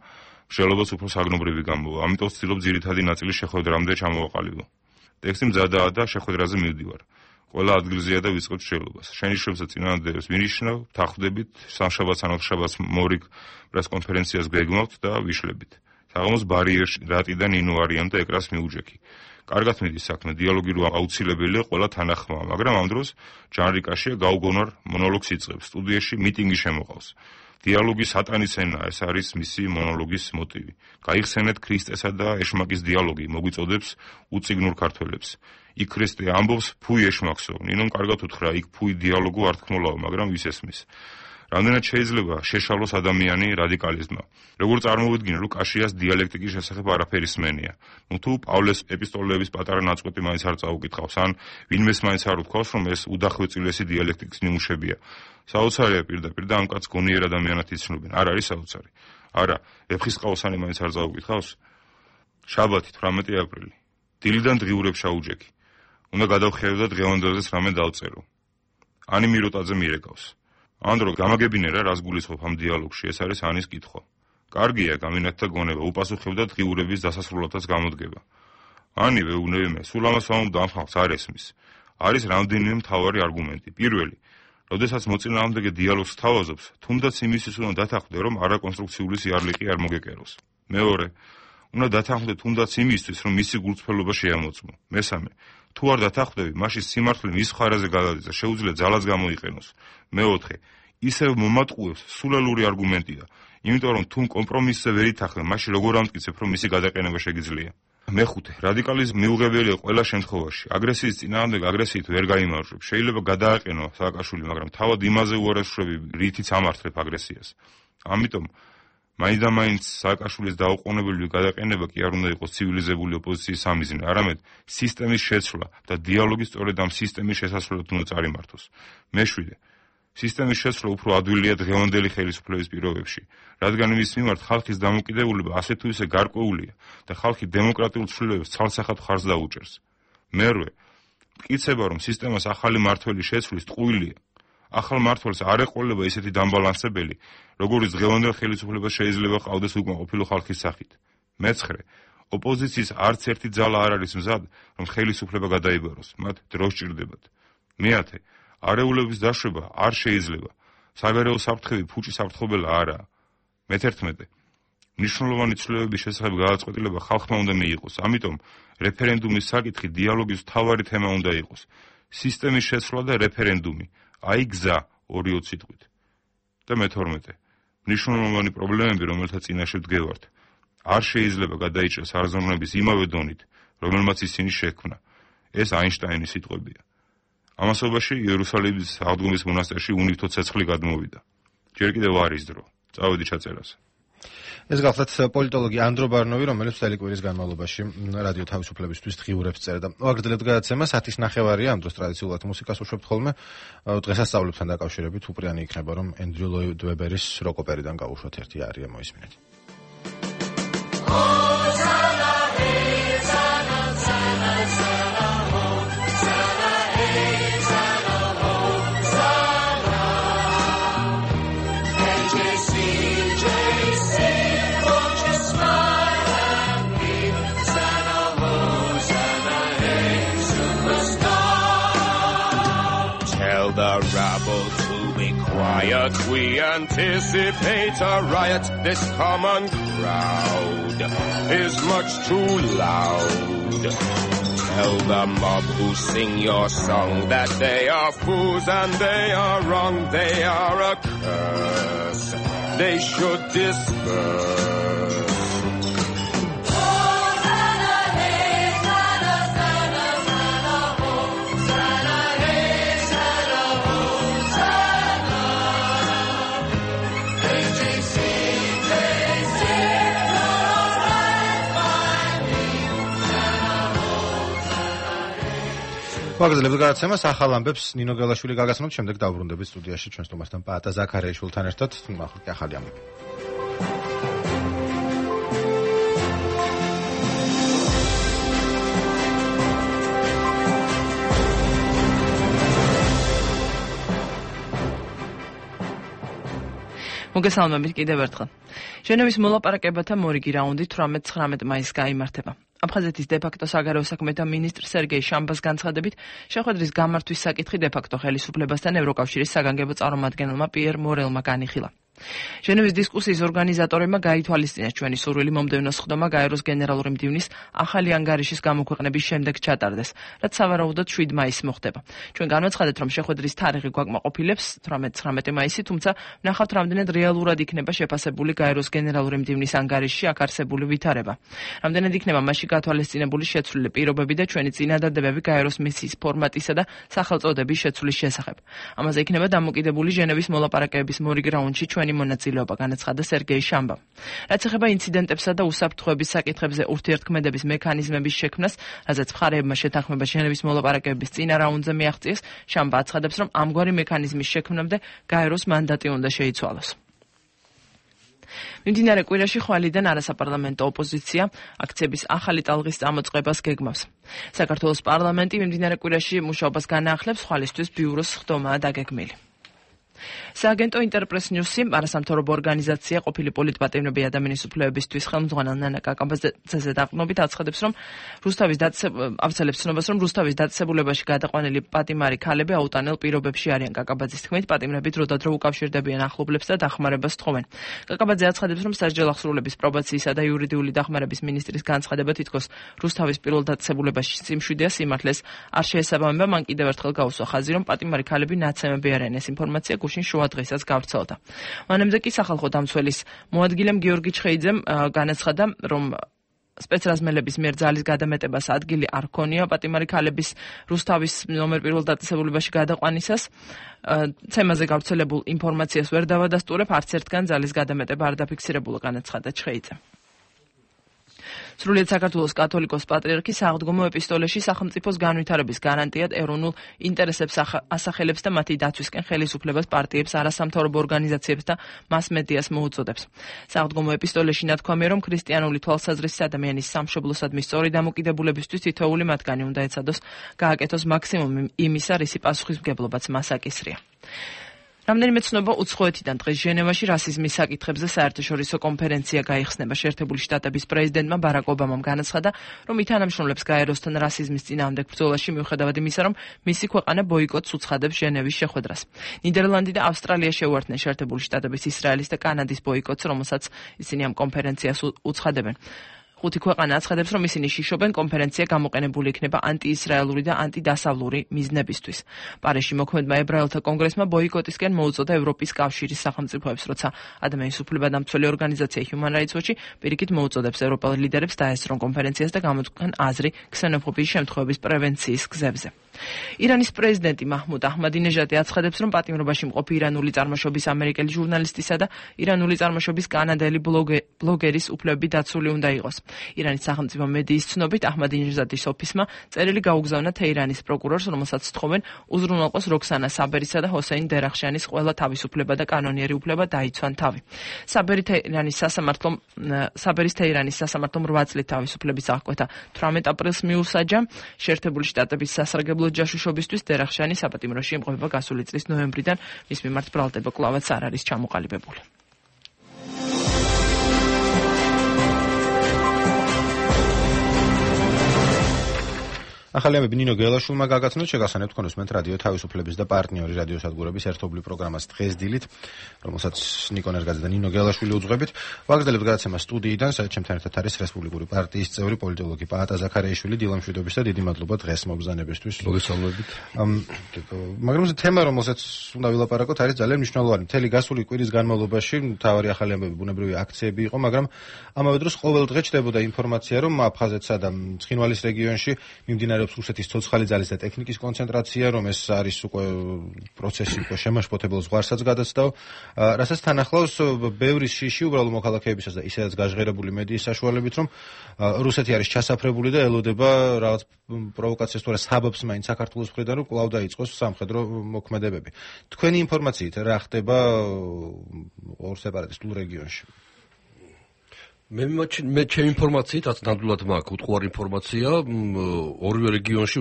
მსჯელობას უფრო საგნობრივი გამოვა. ამიტომ ვცდილობ ძირითადი ნაწილი შეხვედრამდე ჩამოვაყალიბო. ტექსტი მზადაა და შეხვედრაზე მივდივარ. ყველა ადგილზეა და ვიწყებთ მსჯელობას. შენიშვნებსა წინააღმდეგებს ვინიშნავ, ვთანხმდებით, სამშაბათს ან ოთხშაბათს მორიგ პრესკონფერენციას გვეგმავთ და ვიშლებით. საღამოს ბარიერში რატი და ნინო არიან და ეკრას მიუჯექი. კარგად მიდის საქმე, დიალოგი რო აუცილებელია, ყველა თანახმაა, მაგრამ ამ დროს ჟანრიკაშია გაუგონარ მონოლოგს იწყებს, სტუდიაში მიტინგი შემოყავს. დიალოგი სატანის ენაა, ეს არის მისი მონოლოგის მოტივი. გაიხსენეთ ქრისტესა და ეშმაკის დიალოგი, მოგვიწოდებს უწიგნურ ქართველებს. იქ ქრისტე ამბობს, ფუი ეშმაკსო, ნინომ კარგად უთხრა, იქ ფუი დიალოგო ართქმოლაო, მაგრამ ვის ესმის. რამდენად შეიძლება შეშალოს ადამიანი რადიკალიზმმა. როგორ წარმოვიდგინე, რომ კაშიას დიალექტიკის შესახებ არაფერი სმენია. თუ პავლეს ეპისტოლეების პატარა ნაწყვეტი მაინც არ წაუკითხავს, ან ვინმეს მაინც არ უთქვავს, რომ ეს უდახვეწილესი დიალექტიკის ნიმუშებია. საოცარია პირდაპირ და ამ კაცს გონიერ ადამიანად იცნობენ. არ არის საოცარი. არა, ვეფხისტყაოსანი მაინც არ წაუკითხავს. შაბათი 18 აპრილი. დილიდან დღიურებ შაუჯექი. უნდა გადავხიარო და დღევანდელზეც რამე დავწერო. ანი მიროტაძე მირეკავს. ანდრო გამაგებინე რა, რას გულისხმობ ამ დიალოგში, ეს არის ანის კითხვა. კარგია, გამინათდა გონება, უპასუხებდა დღიურების დასასრულადაც გამოდგება. ანი ვეუბნები მე, სულ ამას ვამბობ და ამ ხალხს არ ესმის. არის რამდენიმე მთავარი არგუმენტი. პირველი, როდესაც მოწინააღმდეგე დიალოგს თავაზობს, თუნდაც იმისთვის უნდა დათანხმდე, რომ არაკონსტრუქციული სიარლიყი არ მოგეკეროს. მეორე, უნდა დათანხმდე თუნდაც იმისთვის, რომ მისი გულწრფელობა შეამოწმო. მესამე, თუ არ დათანხმდები, მაშინ სიმართლე მის ხარაზე გადადის და შეუძლია ძალაც გამოიყენოს. მეოთხე, ისევ მომატყუებს სულელური არგუმენტია, იმიტომ რომ თუ კომპრომისზე ვერ ითანხმებ, მაშინ როგორ ამტკიცებ, რომ მისი გადაყენება შეგიძლია. მეხუთე, რადიკალიზმი მიუღებელია ყველა შემთხვევაში. აგრესიის წინააღმდეგ აგრესიით ვერ გაიმარჯვებ. შეიძლება გადააყენო სააკაშვილი, მაგრამ თავად იმაზე უარესშრები, რითიც ამართლებ აგრესიას. ამიტომ მაინც სააკაშვილის დაუყოვნებელი გადაყენება კი არ უნდა იყოს ცივილიზებული ოპოზიციის სამიზნე, არამედ სისტემის შეცვლა და დიალოგი სწორედ ამ სისტემის შესასვლელად უნდა წარიმართოს. მეშვიდე, სისტემის შეცვლა უფრო ადვილია დღევანდელი ხელისუფლების პირობებში, რადგან მის მიმართ ხალხის დამოკიდებულება ასე თუ ისე გარკვეულია და ხალხი დემოკრატიულ ცვლილებებს ცალსახად მხარს დაუჭერს. მერვე, მტკიცება, რომ სისტემას ახალი მმართველი შეცვლის ტყუილია. ახალ მმართველს არ ეყოლება ისეთი დამბალანსებელი, როგორიც დღევანდელ ხელისუფლებას შეიძლება ყავდეს უკმაყოფილო ხალხის სახით. მეცხრე, ოპოზიციის არც ერთი ძალა არ არის მზად, რომ ხელისუფლება გადაიბაროს, მათ დრო სჭირდებათ. მეათე, არეულების დაშვება არ შეიძლება. საგარეო საფრთხები ფუჭი საფრთხობელა არაა. მე-11, მნიშვნელოვანი ცვლილებების შესახებ გადაწყვეტილება ხალხმა უნდა მიიღოს. ამიტომ რეფერენდუმის საკითხი დიალოგის მთავარი თემა უნდა იყოს. სისტემის შეცვლა და რეფერენდუმი. აი გზა 2 სიტყვით. და მე-12, მნიშვნელოვანი პრობლემები, რომელთა წინაშე ვდგევართ, არ შეიძლება გადაიჭრას არზომნების იმავე დონით, რომელმაც ისინი შექმნა. ეს აინშტაინის სიტყვებია. ამასობაში იერუსალიმის აღდგომის მონასტერში უნივთო ცეცხლი გადმოვიდა. ჯერ კიდევ არის დრო. წავედი ჩაწერაზე. ეს გახლავთ პოლიტოლოგი ანდრო ბარნოვი, რომელიც წელი კვირის განმავლობაში რადიო თავისუფლებისთვის დღიურებს წერდა. ვაგრძელებთ გადაცემას 10:30-ია, ამ დროს ტრადიციულად მუსიკას უშვებთ ხოლმე. დღესასწაულებთან დაკავშირებით უპრიანი იქნება, რომ ენდრიუ ლოიდ ვებერის როკ ოპერიდან გავუშვათ ერთი არია, მოისმინეთ. The rabble to be quiet, we anticipate a riot. This common crowd is much too loud. Tell the mob who sing your song that they are fools and they are wrong. They are a curse, they should disperse. ვაგრძელებთ გადაცემას ახალ ამბებს ნინო გელაშვილი გაგაცნობთ, შემდეგ დავბრუნდებით სტუდიაში ჩვენ სტუმართან პაატა ზაქარიაშვილთან ერთად. ახლა ახალი ამბები. მოგესალმებით კიდევ ერთხელ. ჟენევის მოლაპარაკებათა მორიგი რაუნდი 18-19 მაისს გაიმართება. აფხაზეთის დე-ფაქტო საგარეო საქმეთა მინისტრ სერგეი შამბას განცხადებით, შეხვედრის გამართვის საკითხი დე-ფაქტო ხელისუფლებასთან ევროკავშირის საგანგებო წარმომადგენელმა პიერ მორელმა განიხილა. ჟენევის დისკუსიის ორგანიზატორებმა გაითვალისწინეს ჩვენი სურვილი მომდევნო სხდომა გაეროს გენერალური მდივნის ახალი ანგარიშის გამოქვეყნების შემდეგ ჩატარდეს, რაც სავარაუდოდ 7 მაისს მოხდება. ჩვენ განვაცხადეთ, რომ შეხვედრის თარიღი გვაკმაყოფილებს 18-19 მაისი, თუმცა ვნახავთ, რამდენად რეალურად იქნება შეფასებული გაეროს გენერალური მდივნის ანგარიშში აქ არსებული ვითარება. რამდენად იქნება მასში გათვალისწინებული შეცვლილი პირობები და ჩვენი წინადადებები გაეროს მისიის ფორმატისა და სახელწოდების შეცვლის შესახებ. ამაზე იქნება დამოკიდებული ჟენევის მოლაპარაკებების მორიგ რაუნდში ჩვენი მონაწილეობა, განაცხადა სერგეი შამბამ. რაც ეხება ინციდენტებსა და უსაფრთხოების საკითხებზე ურთიერთქმედების მექანიზმების შექმნას, რაზეც მხარეებმა შეთანხმება ჟენევის მოლაპარაკებების წინა რაუნდზე მიაღწიეს, შამბა აცხადებს, რომ ამგვარი მექანიზმის შექმნამდე გაეროს მანდატი უნდა შეიცვალოს. მიმდინარე კვირაში ხვალიდან არასაპარლამენტო ოპოზიცია აქციების ახალი ტალღის წამოწყებას გეგმავს. საქართველოს პარლამენტი მიმდინარე კვირაში მუშაობას განაახლებს, ხვალისთვის ბიუროს სხდომაა დაგეგმილი. სააგენტო ინტერპრეს ნიუსი არასამთავრობო ორგანიზაცია ყოფილი პოლიტპატიმრები ადამიანის უფლებებისთვის ხელმძღვანელ ნანა კაკაბაძეზე დაყრდნობით აცხადებს, რომ რუსთავის დაწესებულებაში გადაყვანილი პატიმარი ქალები აუტანელ პირობებში არიან. კაკაბაძის თქმით, პატიმრები დროდადრო უკავშირდებიან ახლობლებს და დახმარებას თხოვენ. კაკაბაძე აცხადებს, რომ სასჯელ აღსრულების პრობაციისა და იურიდიული დახმარების მინისტრის განცხადება თითქოს რუსთავის პირველ დაწესებულებაში სიმშვიდეა სიმართლეს არ შეესაბამება. მან კიდევ ერთხელ გაუსვა ხაზი, რომ პატიმარი ქალები ნაცემები არიან. ეს ინფორმაცია გუშინ შუა დღესაც გავრცელდა. მანამდე კი სახალხო დამცველის მოადგილემ გიორგი ჩხეიძემ განაცხადა, რომ სპეცრაზმელების მიერ ძალის გადამეტებას ადგილი არ ქონია პატიმარი ქალების რუსთავის ნომერ პირველ დაწესებულებაში გადაყვანისას. თემაზე გავრცელებულ ინფორმაციას ვერ დავადასტურებ, არც ერთგან ძალის გადამეტება არ დაფიქსირებულა, განაცხადა ჩხეიძემ. სრულიად საქართველოს კათოლიკოს პატრიარქი საღდგომო ეპისტოლეში სახელმწიფოს განვითარების გარანტიად ეროვნულ ინტერესებს ასახელებს და მათი დაცვისკენ ხელისუფლებას, პარტიებს, არასამთავრობო ორგანიზაციებს და მასმედიას მოუწოდებს. საღდგომო ეპისტოლეში ნათქვამია, რომ ქრისტიანული თვალსაზრისით ადამიანის სამშობლოსადმი სწორი დამოკიდებულებისთვის თითოეული მათგანი უნდა ეცადოს გააკეთოს მაქსიმუმი იმისა, რისი პასუხისმგებლობაც მას აკისრია. რამდენიმე ცნობა უცხოეთიდან დღეს ჟენევაში რასიზმის საკითხებზე საერთაშორისო კონფერენცია გაიხსნება. შეერთებული შტატების პრეზიდენტმა ბარაკ ობამამ განაცხადა, რომ ითანამშრომლებს გაეროსთან რასიზმის წინააღმდეგ ბრძოლაში, მიუხედავად იმისა, რომ მისი ქვეყანა ბოიკოტს უცხადებს ჟენევის შეხვედრას. ნიდერლანდი და ავსტრალია შეუერთდნენ შეერთებული შტატების, ისრაელის და კანადის ბოიკოტს, რომელსაც ისინი ამ კონფერენციას უცხადებენ. 5 ქვეყანა აცხადებს, რომ ისინი შიშობენ კონფერენცია გამოყენებული იქნება ანტიისრაელური და ანტიდასავლური მიზნებისთვის. პარიზში მოქმედმა ებრაელთა კონგრესმა ბოიკოტისკენ მოუწოდა ევროპის კავშირის სახელმწიფოებს, როცა ადამიანის უფლებადამცველი ორგანიზაცია Human Rights Watch პირიქით მოუწოდებს ევროპელ ლიდერებს დაესწრონ კონფერენციას და გამოთქვან აზრი ქსენოფობიის შემთხვევების პრევენციის გზებზე. ირანის პრეზიდენტი მაჰმუდ აჰმადინეჟადი აცხადებს, რომ პატიმრობაში მყოფი ირანული წარმოშობის ამერიკელი ჟურნალისტისა და ირანული წარმოშობის კანადელი ბლოგერის უფლებები დაცული უნდა იყოს. ირანის სახელმწიფო მედიის ცნობით აჰმადინეჟადის ოფისმა წერილი გაუგზავნა თეირანის პროკურორს, რომელსაც სთხოვენ უზრუნველყოს როქსანა საბერისა და ჰოსეინ დერახშანის ყველა თავისუფლება და კანონიერი უფლება დაიცვან თავი. საბერის თეირანის სასამართლომ 8 წლით თავისუფლების აღკვეთა 18 აპრილს მიუსაჯა. შეერთებული შტატების სასარგებლო ჯაშუშობისთვის დერახშანი საპატიმროში იმყოფება გასული წლის ნოემბრიდან, მის მიმართ ბრალდება კვლავაც არ არის ჩამოყალიბებული. ახალი ამბები ნინო გელაშვილმა გაგაცნოთ, შეგახსენებთ კონსუმენტ რადიო თავისუფლების და პარტნიორი რადიოსადგურების ერთობლივ პროგრამას დღეს დილით, რომელსაც ნიკო ნერგაძე და ნინო გელაშვილი უძღვებით. ვაგრძელებთ გადაცემა სტუდიიდან, სადაც ჩემთან ერთად არის რესპუბლიკური პარტიის წევრი პოლიტოლოგი პაატა ზაქარიაშვილი. დილამშვიდობის და დიდი მადლობა დღეს მობრძანებისთვის. მოგესალმებით. მაგრამ თემა, რომელსაც უნდა ვილაპარაკოთ, არის ძალიან მნიშვნელოვანი. მთელი გასული კვირის განმავლობაში მთავარი ახალი ამბები ბუნებრივი აქციები იყო, მაგრამ ამავე დროს ყოველ დღე ჩნდებოდა ინფორმაცია, რომ აფხაზეთსა და ცხინვალის რეგიონში მიმდინარე რუსეთის ცოცხალი ძალის და ტექნიკის კონცენტრაცია, რომ ეს არის უკვე პროცესი, უკვე შემაშფოთებელ ზღვარსაც გადაცდაო, რასაც თან ახლავს ბევრი შიში უბრალო მოქალაქეებისას და ისედაც გაჟღერებული მედიის საშუალებით, რომ რუსეთი არის ჩასაფრებული და ელოდება რაღაც პროვოკაციას თუ არა საბაბს მაინც საქართველოს მხრიდან, რომ კვლავ დაიწყოს სამხედრო მოქმედებები. თქვენი ინფორმაციით რა ხდება ორ სეპარატისტულ რეგიონში? მე ჩემი ინფორმაციით, რაც ნამდვილად მაქვს უტყუარი ინფორმაცია, ორივე რეგიონში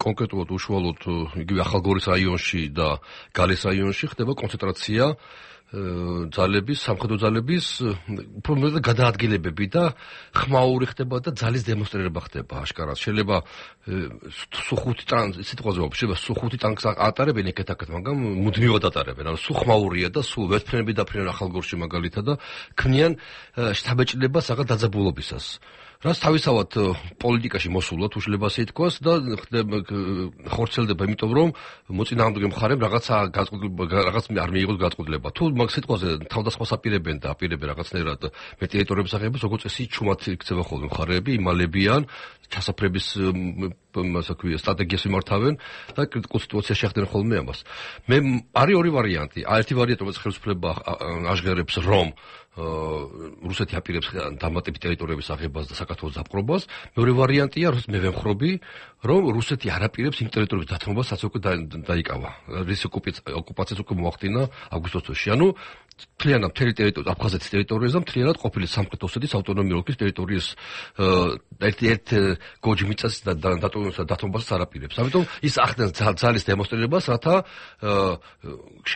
კონკრეტულად უშუალოდ იგივე ახალგორის რაიონში და გალის რაიონში ხდება კონცენტრაცია ძალების, სამხედრო ძალების უფრო მეტად გადაადგილებები და ხმაური ხდება და ძალის დემონსტრირება ხდება აშკარად. შეიძლება სუხუთი სიტყვაზე შეიძლება სუხუთი ტანკს ატარებენ ეკეთ-აკეთ, მაგრამ მუდმივად ატარებენ. ანუ სულ ხმაურია და სულ ვერტფრენები დაფრინონ ახალგორში მაგალითად და ქმნიან შთაბეჭდილებას რაღაც დაძაბულობისას. რაც თავისთავად პოლიტიკაში მოსულად უშლება ასე ითქვას და ხორცელდება, იმიტომ რომ მოწინააღმდეგე მხარემ რაღაც არ მიიღოს გადაწყვეტილება. თუ მაგ სიტყვაზე თავდასხმას აპირებენ და აპირებენ რაღაცნაირად მე ტერიტორიების აღებას, როგორც წესი ჩუმად იქცევა ხოლმე მხარეები, იმალებიან ჩასაფრების სტრატეგიას მიმართავენ და კრიტიკულ სიტუაციაში შეხვდნენ ხოლმე ამას. მე არის ორი ვარიანტი. ერთი ვარიანტი, რომელიც ხელისუფლება აღჟღერებს, რომ რუსეთი აპირებს დამატებით ტერიტორიების აღებას და საქართველოს დაპყრობას. მეორე ვარიანტია, რომ მე ვემხრობი, რომ რუსეთი არ აპირებს იმ ტერიტორიების დათმობას, რაც უკვე დაიკავა. რის ოკუპაციას უკვე მოახდინა აგვისტოს თვეში. ანუ მთლიანად მთელი ტერიტორია აფხაზეთის ტერიტორიაზე და მთლიანად ყოფილი სამხრეთ ოსეთის ავტონომიური ოლქის ტერიტორიის ერთ გოჯ მიწას და დათმობას არ აპირებს. ამიტომ ის ახდენს ძალის დემონსტრირებას, რათა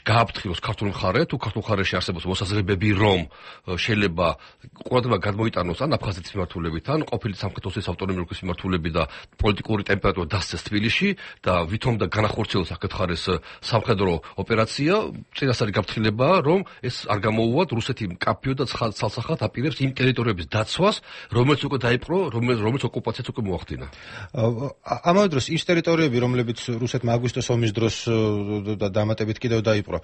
გააფრთხილოს ქართული მხარე, თუ ქართულ მხარეში არსებობს მოსაზრებები, რომ შეიძლება ყურადღება გადმოიტანოს ან აფხაზეთის მიმართულებით, ან ყოფილი სამხრეთ ოსეთის ავტონომიური ოლქის მიმართულებით და პოლიტიკური ტემპერატურა დასცეს თბილისში და ვითომ და განახორციელოს აქეთ მხარეს სამხედრო ოპერაცია, წინასწარი გაფრთხილება, რომ ეს არ გამოუვათ რუსეთი მკაფიო და ცალსახად აპირებს იმ ტერიტორიების დაცვას, რომელიც უკვე დაიპყრო, რომელიც ოკუპაციაც უკვე მოახდინა. ამავე დროს ის ტერიტორიები, რომლებიც რუსეთმა აგვისტოს ომის დროს და დამატებით კიდევ დაიპყრო,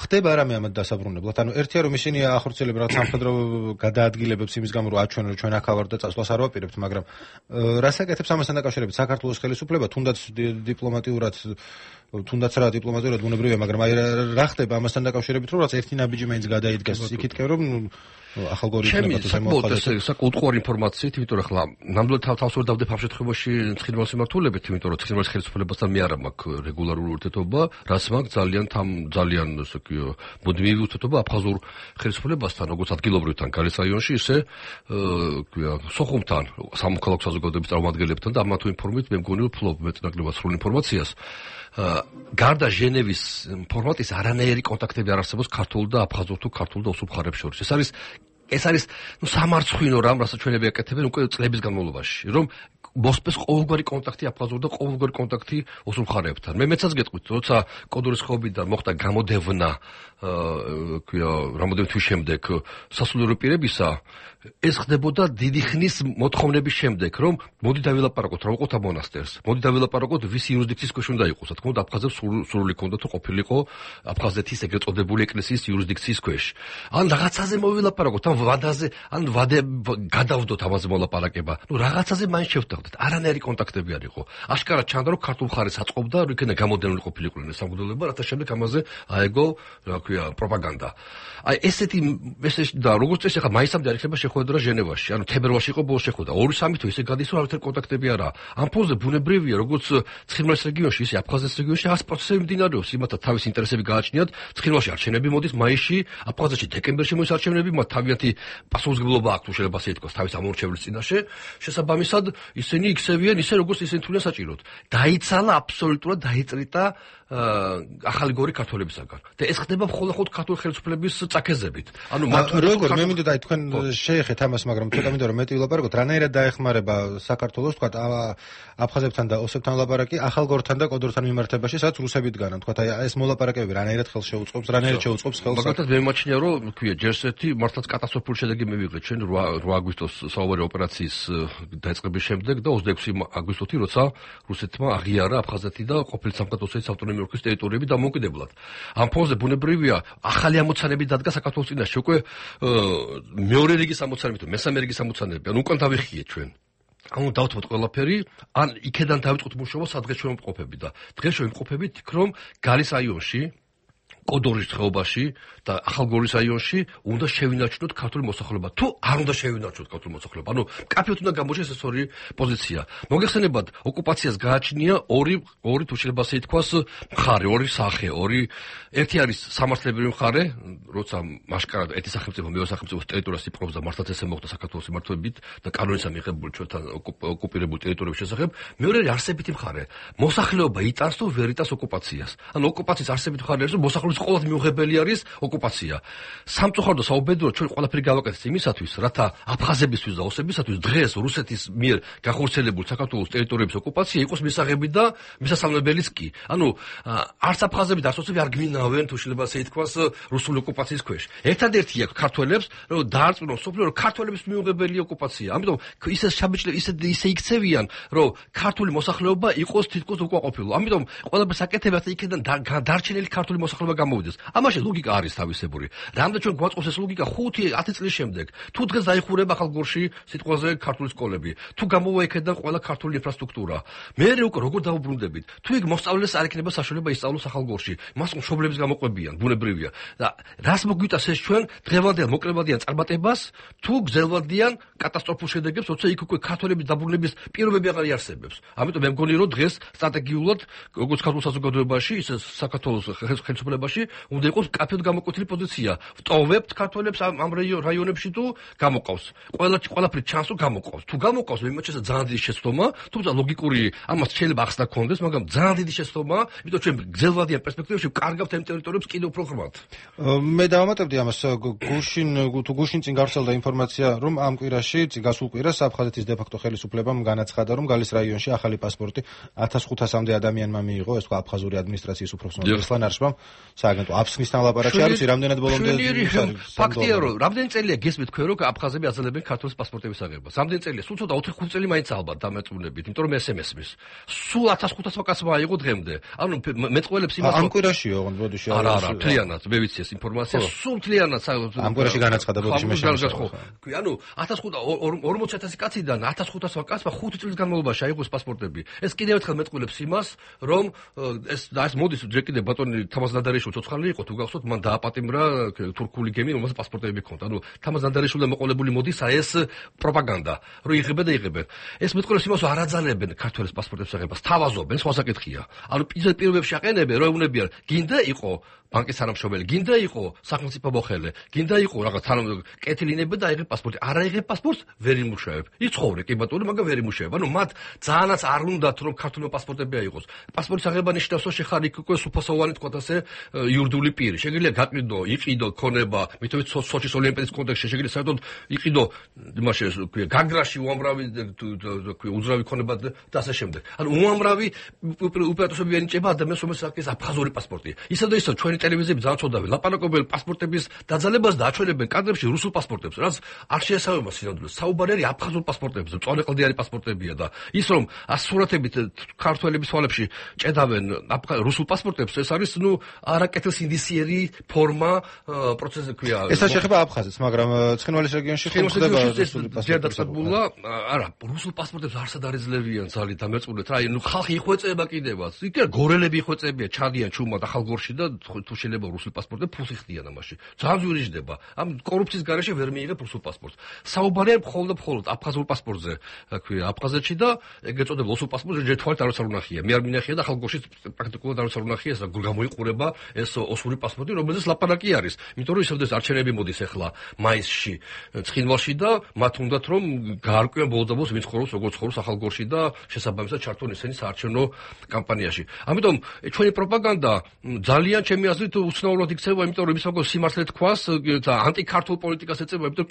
ხდება რამე ამათ დასაბრუნებლად? ანუ ერთია რომ ისინი ახორციელებენ რაღაც სამხედრო გადაადგილებებს იმის გამო, რომ აჩვენონ, რომ ჩვენ აქ ავართ და წასვლას არ ვაპირებთ, მაგრამ რას აკეთებს ამასთან დაკავშირებით საქართველოს ხელისუფლება, თუნდაც დიპლომატიურად, თუნდაც რა დიპლომატიურად ბუნებრივია, მაგრამ აი რა ხდება ამასთან დაკავშირებით, რომ რაღაც ერთი ნაბიჯი მაინც გადაიდგეს იქითკენ, რომ ახალგორი იქნება საკუთარი ინფორმაციით, იმიტომ რომ ახლა ნამდვილად თავს ვერ დავდებ ამ შემთხვევაში ცხინვალის მიმართულებით, იმიტომ რომ ცხინვალის ხელისუფლებასთან მე არ მაქვს რეგულარული ურთიერთობა, რაც მაქვს ძალიან ასე ვთქვი, მუდმივი ურთიერთობა აფხაზურ ხელისუფლებასთან, როგორც ადგილობრივთან გალის რაიონში, ისე ვთქვია, სოხუმთან, სამოქალაქო საზოგადოების წარმომადგენლებთან და ამა თუ ინფორმით მე მგონი ვფლობ მეტნაკლებად სრულ ინფორმაციას. გარდა ჟენევის ფორმატის არანაირი კონტაქტები არ არსებობს ქართულ და აფხაზურ თუ ქართულ და ოსურ მხარეებს შორის. ეს არის სამარცხვინო რამ, რასაც ჩვენები აკეთებენ უკვე წლების განმავლობაში, რომ მოსპეს ყოველგვარი კონტაქტი აფხაზურ და ყოველგვარი კონტაქტი ოსურ მხარეებთან. მეცაც გეტყვით, როცა კოდორის ხობიდან მოხდა გამოდევნა, ვთქვია, რამოდენიმე თვის შემდეგ სასულიერო პირებისა, ეს ხდებოდა დიდი ხნის მოთხოვნების შემდეგ, რომ მოდი დავილაპარაკოთ, რა ვიყოთ ამ მონასტერს. მოდი დავილაპარაკოთ, ვის იურისდიქციის ქვეშ უნდა იყოს. რა თქმა უნდა, აფხაზებს სრული ჰქონდათ, თუ ყოფილიყო აფხაზეთის ეგრეთ წოდებული ეკლესიის იურისდიქციის ქვეშ. ან რაღაცაზე მოვილაპარაკოთ, ან ვადე გადავდოთ ამაზე მოლაპარაკება. რაღაცაზე მაინც შევთანხმდით. არანაირი კონტაქტები არ იყო. აშკარად ჩანდა, რომ ქართულ მხარეს აწყობდა, რომ იქნება გამოდენილი ყოფილიყვნენ სამგებლობა, რათა შემდეგ ამაზე აეგო, რა ქვია, პროპაგანდა. აი ესეთი და როგორც წესი, ახლა მაისამდე არ იქნება შეხვედრა ჟენევაში, ანუ თებერვალში იყო ბოლოს შეხვედრა. 2-3 თვე ისე გადის, რომ არავითარი კონტაქტები არაა. ამ ფონზე ბუნებრივია, როგორც ცხინვალის რეგიონში, ისე აფხაზეთის რეგიონში რაღაც პროცესები მიმდინარეობს. იმათა თავის ინტერესები გააჩნიათ. ცხინვალში არჩევნები მოდის მაისში, აფხაზეთში დეკემბერში მოდის არჩევნები, მათ თავიანთი პასუხისმგებლობა აქვს, თუ შეიძლება ასე ითქვას, თავის ამორჩევლის წინაშე. შესაბამისად, ისინი იქცევიან ისე, როგორც ისინი თვლიან საჭიროდ. დაიცალა აბსოლუტურად დაიწრიტა ახალი გორი ქართველებისაგან. და ეს ხდება მხოლოდ ქართული ხელისუფლების წაქეზებით. ანუ მათ როგორ მე მინდოდა აი თქვენ შეეხეთ ამას, მაგრამ ცოტა მინდოდა რომ მეტი ვილაპარაკოთ, რანაირად დაეხმარება საქართველოს თქვა აფხაზებთან და ოსებთან ლაპარაკი ახალგორთან და კოდორთან მიმართებაში, სადაც რუსები დგანან. თქვა აი ეს მოლაპარაკებები რანაირად ხელს შეუწყობს, რანაირად შეუწყობს ხელს. მაგალითად მე მიმაჩნია, რომ ვთქვია, ჯერსეთი მართლაც კატასტროფული შედეგი მივიღეთ ჩვენ 8 აგვისტოს საუბარი ოპერაციის დაწყების შემდეგ და 26 აგვისტოში, როცა რუსეთმა აღიარა აფხაზეთი და ყოფილი სამხატვრო ავტონომიური ოლქის ტერიტორიები დამოუკიდებლად. ამ ფონზე ბუნებრივია ახალი ამოცანები დადგა საქართველოს წინაშე, უკვე მეორე რიგის ამოცანები თუ მესამე რიგის ამოცანები, ანუ უკან დავიხიეთ ჩვენ. ანუ დავთმოთ ყველაფერი, ან იქედან დავიწყოთ მუშაობა, სადღაც ჩვენ ვიმყოფები და დღეს ჩვენ ვიმყოფებით იქ, რომ გალის რაიონში, კოდორის ხეობაში და ახალგორის რაიონში უნდა შევინარჩუნოთ ქართული მოსახლეობა. თუ არ უნდა შევინარჩუნოთ ქართული მოსახლეობა, ანუ კაფეოდ უნდა გამოჩნდეს ეს ორი პოზიცია. მოგეხსენებათ, ოკუპაციას გააჩნია ორი თუ შეიძლება ასე ითქვას, მხარე, ორი სახე, ერთი არის სამართლებრივი მხარე, როცა მასკარად ერთი სახელმწიფო მეორე სახელმწიფოს ტერიტორიას იპყრობს და მართლაც ესე მოხდა საქართველოს მიმართვებით და კანონისა მიღებული ჩვენთან ოკუპირებული ტერიტორიების შესახებ. მეორე არის არსებითი მხარე. მოსახლეობა იტანს თუ ვერ იტანს ოკუპაციას. ანუ ოკუპაციის არსებითი მხარე არის, რომ მოსახლეობის ყოველდღიური მიუღებელი არის ოკუპაცია. სამწუხაროდ და საუბედუროდ ჩვენ ყველაფერი გავაკეთეთ იმისათვის, რათა აფხაზებისთვის და ოსებისათვის დღეს რუსეთის მიერ გახორციელებული საქართველოს ტერიტორიების ოკუპაცია იყოს მისაღები და მისასალმებელიც კი. ანუ არც აფხაზები და არც ოსები არ გვინავენ, თუ შეიძლება ასე ითქვას, რუსული ოკუპაციის ქვეშ. ერთადერთი აქვს ქართველებს, რომ დაარწმუნონ სოფლიო, რომ ქართველების მიუღებელი ოკუპაცია. ამიტომ ისე შაბეჭდები, ისე იქცევიან, რომ ქართული მოსახლეობა იყოს თითქოს უკმაყოფილო. ამიტომ ყველაფერს აკეთებენ, იქიდან დარჩენილი ქართული მოსახლეობა გამოვიდეს. ამაში ლოგიკა არის თავისებური. რამდენ ჩვენ გვაწყობს ეს ლოგიკა 5-10 წლის შემდეგ. თუ დღეს დაიხურება ახალგორში სიტყვაზე ქართული სკოლები, თუ გამოვა იქიდან ყველა ქართული ინფრასტრუქტურა. მე უკვე როგორ დაუბრუნდებით? თუ იქ მოსწავლეს არ იქნება საშუალება ისწავლოს ახალგორში, მას მშობლების გამოყვებიან, ბუნებრივია. და რას მოგვიტას ეს ჩვენ დღევანდელ მოკლებადიან წარმატებას, თუ გზელვადიან კატასტროფულ შედეგებს, როცა იქ უკვე ქართველების დაბრუნების პირობები აღარ იარსებებს. ამიტომ მე მგონი, რომ დღეს სტრატეგიულად, როგორც ქართულ საზოგადოებაში, ისე საქართველოს ხელისუფლებაში უნდა იყოს კაფეოდ გამოკვეთილი პოზიცია. ვტოვებთ ქართველებს ამ რაიონებში თუ გამოყავს. ყველაფერი ჩანს თუ გამოყავს. თუ გამოყავს, მე მეჩეს ძალიან დიდი შეცდომა, თუმცა ლოგიკური ამას შეიძლება ახსნა კონდეს, მაგრამ ძალიან დიდი შეცდომა, იმიტომ ჩვენ გზელვადიან პერსპექტივაში ვკარგავთ ამ ტერიტორიებს კიდევ უფრო ღრმად. მე დავამატებდი ამას, გუშინ წინ გავრცელდა ინფორმაცია, რომ ამ კვირაში, გასულ კვირას აფხაზეთის დე-ფაქტო ხელისუფლებამ განაცხადა, რომ გალის რაიონში ახალი პასპორტი 1500-მდე ადამიანმა მიიღო, ეს თქვა აფხაზური ადმინისტრაციის უფროსმა ესლან არშბამ, სააგენტო აფსხნისთან ლაპარაკი არის, რამდენად ბოლომდე ფაქტია, რომ რამდენი წელია გესმით თქვენ, რომ აფხაზები აძლევენ ქართულის პასპორტების აღებას. რამდენი წელია? სულ ცოტა 4-5 წელი მაინც ალბათ დამეწუნებით, იმიტომ რომ ეს მესმის. სულ 1500 კაცმა აიღო დღემდე. ანუ მეწყველებს იმას ამ კვირაშიო, ბოდიში არა, თლიანად, მე ვიცი ეს ინფორმაცია, სულ თლიანად ამ კვირაში განაცხადა ბოდიში მე შემოშვა. ანუ 40,000 კაციდან 1500 კაცმა 5 წლის განმავლობაში აიღო პასპორტები. ეს კიდევ ერთხელ მეწყველებს იმას, რომ ეს მოდის ჯერ კიდევ ბატონი თამაზ ნადარიშვილ ცოცხალი იყო, თუ გახსოვთ, მან დააპატიმრა თურქული გემი, რომელსაც პასპორტები ჰქონდა. ანუ თამაზ ნანდარიშვილმა მოყოლებული მოდის ეს პროპაგანდა, რომ იღებენ და იღებენ. ეს მეტყველებს იმას არ აძალებენ ქართველის პასპორტების აღებას, თავაზობენ, სხვა საკითხია. ანუ პირობებში აყენებენ, რომ ეუბნებიან, გინდა იყო ბანკის თანამშრომელი, გინდა იყო სახელმწიფო მოხელე, გინდა იყო რაღაც კეთილინები და აიღებ პასპორტი. არ აიღებ პასპორტს, ვერ იმუშავებ. იცხოვრე კი ბატონო, მაგრამ ვერ იმუშავებ. ანუ მათ ძალიანაც არ უნდათ რომ ქართულმა პასპორტები აიღოს. პასპორტის აღება ნიშნავს, რომ შეხარ იქ უკვე სუფასოვანი თქვათ ასე იურიდიული პირი. შეგიძლია გაყიდო, იყიდო ქონება, მithomეთ სოჩის ოლიმპიადის კონტექსტში შეგიძლია საერთოდ იყიდო იმაში გაგრაში უამრავი უძრავი ქონება და ასე შემდეგ. ანუ უამრავი უპირატესობები ენიჭება ადამიანს, რომელსაც აქვს აფხაზური პასპორტი. ისე და ისე ჩვენი ტელევიზიები ძალიან ცოდავენ ლაპარაკობენ პასპორტების დაძალებას და აჩვენებენ კადრებში რუსულ პასპორტებს, რაც არ შეესაბამება სინამდვილეს. საუბარი არის აფხაზურ პასპორტებზე, მწვანეყლდიანი პასპორტებია და ის რომ ასურათებით ქართველების თვალებში ჭედავენ რუსულ პასპორტებს, ეს არის არაკეთილ ინდისიერი ფორმა პროცესი ქვია. ესაც შეეხება აფხაზეთს, მაგრამ ცხინვალის რეგიონში ხომ ხდება რუსული პასპორტები? არა, რუსულ პასპორტებს არსად არ ეძლებიან ძალით და მეწყვილეთ რა, ხალხი იხვეწება კიდევაც. იქ გორელები იხვეწებიან, ჩადიან ჩუმად ახალგორში და თუ შეიძლება რუსულ პასპორტებს ფულს იხდიან ამაში. ძალიან ძვირიჯდება. ამ კორუფციის გარეშე ვერ მიიღებ რუსულ პასპორტს. საუბარია მხოლოდ აფხაზურ პასპორტზე, ქვია, აფხაზეთში და ეგ ეწოდება რუსულ პასპორტზე ჯერ თვალით არ უნახია. მე არ მინახია და ახალგორში პრაქტიკულად არ უნახია, ეს გამოიყურება ეს ოსური პასპორტი, რომელზეც ლაპარაკი არის. იმიტომ რომ ისევ არჩევნები მოდის ახლა მაისში ცხინვალში და მათ უნდათ რომ გაარკვიონ ბოლოს ვინც ხოროს, როგორ ხოროს ახალგორში და შესაბამისად ჩართონ ისინი საარჩევნო კამპანიაში. ამიტომ ჩვენი პროპაგანდა ძალიან ჩემი აზრით უცნაურად იქცევა, იმიტომ რომ ისაგო სიმართლე თქვას და ანტიქართულ პოლიტიკას ეწევა, იმიტომ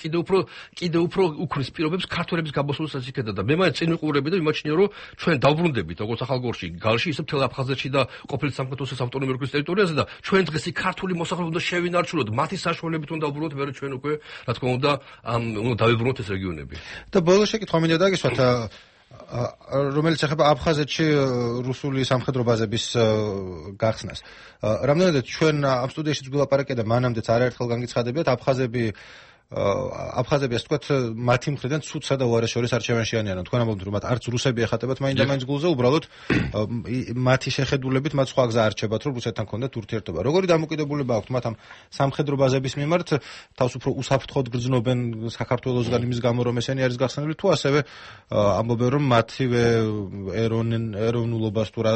კიდევ უფრო უქმნის პირობებს ქართველების გაბოსულსაც იქედა და მე მაინც წინ ვიყურები და მიმაჩნია რომ ჩვენ დავბრუნდებით როგორც ახალგორში, გალში, ისე მთელ აფხაზეთში და ყოფილი სამხატვრო ავტონომიური ოლქის ტერიტორიაზე და ჩვენ დღეს იქ ქართული მოსახლეობა უნდა შევინარჩუნოთ, მათი საშუალებით უნდა დავბრუნოთ, მე ჩვენ უკვე რა თქმა უნდა უნდა დავიბრუნოთ ეს რეგიონები. და ბოლოს შეკითხვა მინდა დაგისვათ, რომელიც ეხება აფხაზეთში რუსული სამხედრო ბაზების გახსნას. რამდენადაც ჩვენ ამ სტუდიაშიც გულაპარაკია და მანამდეც არაერთხელ განგიცხადებიათ, აფხაზები ასე ვთქვათ, მათი მხრიდან ცუდსა და უარაშორის არჩევანში არიან. თქვენ ამბობთ, რომ მათ არც რუსები ეხატებათ მაინდა-მაინც გულზე, უბრალოდ მათი შეხედულებით მათ სხვა გზა არჩებათ, რომ რუსეთთან ქონდათ ურთიერთობა. როგორი დამოკიდებულება აქვთ მათ ამ სამხედრო ბაზების მიმართ, თავს უფრო უსაფრთხოდ გრძნობენ საქართველოსგან იმის გამო, რომ ესენი არის გახსნილი, თუ ასევე ამბობენ, რომ მათივე ეროვნულობას თუ რა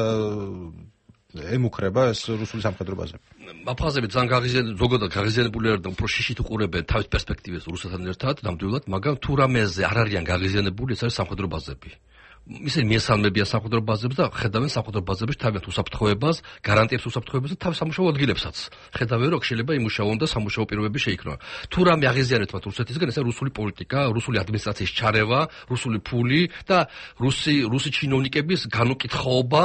ემუქრება ეს რუსული სამხედრო ბაზები. აფხაზები ძალიან ზოგადად გაღიზიანებული არიან და უფრო შიშით უყურებენ თავის პერსპექტივას რუსეთთან ერთად ნამდვილად, მაგრამ თუ რამეზე არ არიან გაღიზიანებული, ეს არის სამხედრო ბაზები. ისინი მიესალმებიან სამხედრო ბაზებს და ხედავენ სამხედრო ბაზებში თავიანთ უსაფრთხოებას, გარანტიებს უსაფრთხოებას და თავის სამუშაო ადგილებსაც. ხედავენ, რომ შეიძლება იმუშაონ და სამუშაო პირობები შეიქმნონ. თუ რამე აღიზიანებთ მათ რუსეთისგან, ეს არის რუსული პოლიტიკა, რუსული ადმინისტრაციის ჩარევა, რუსული ფული და რუსი ჩინოვნიკების განუკითხაობა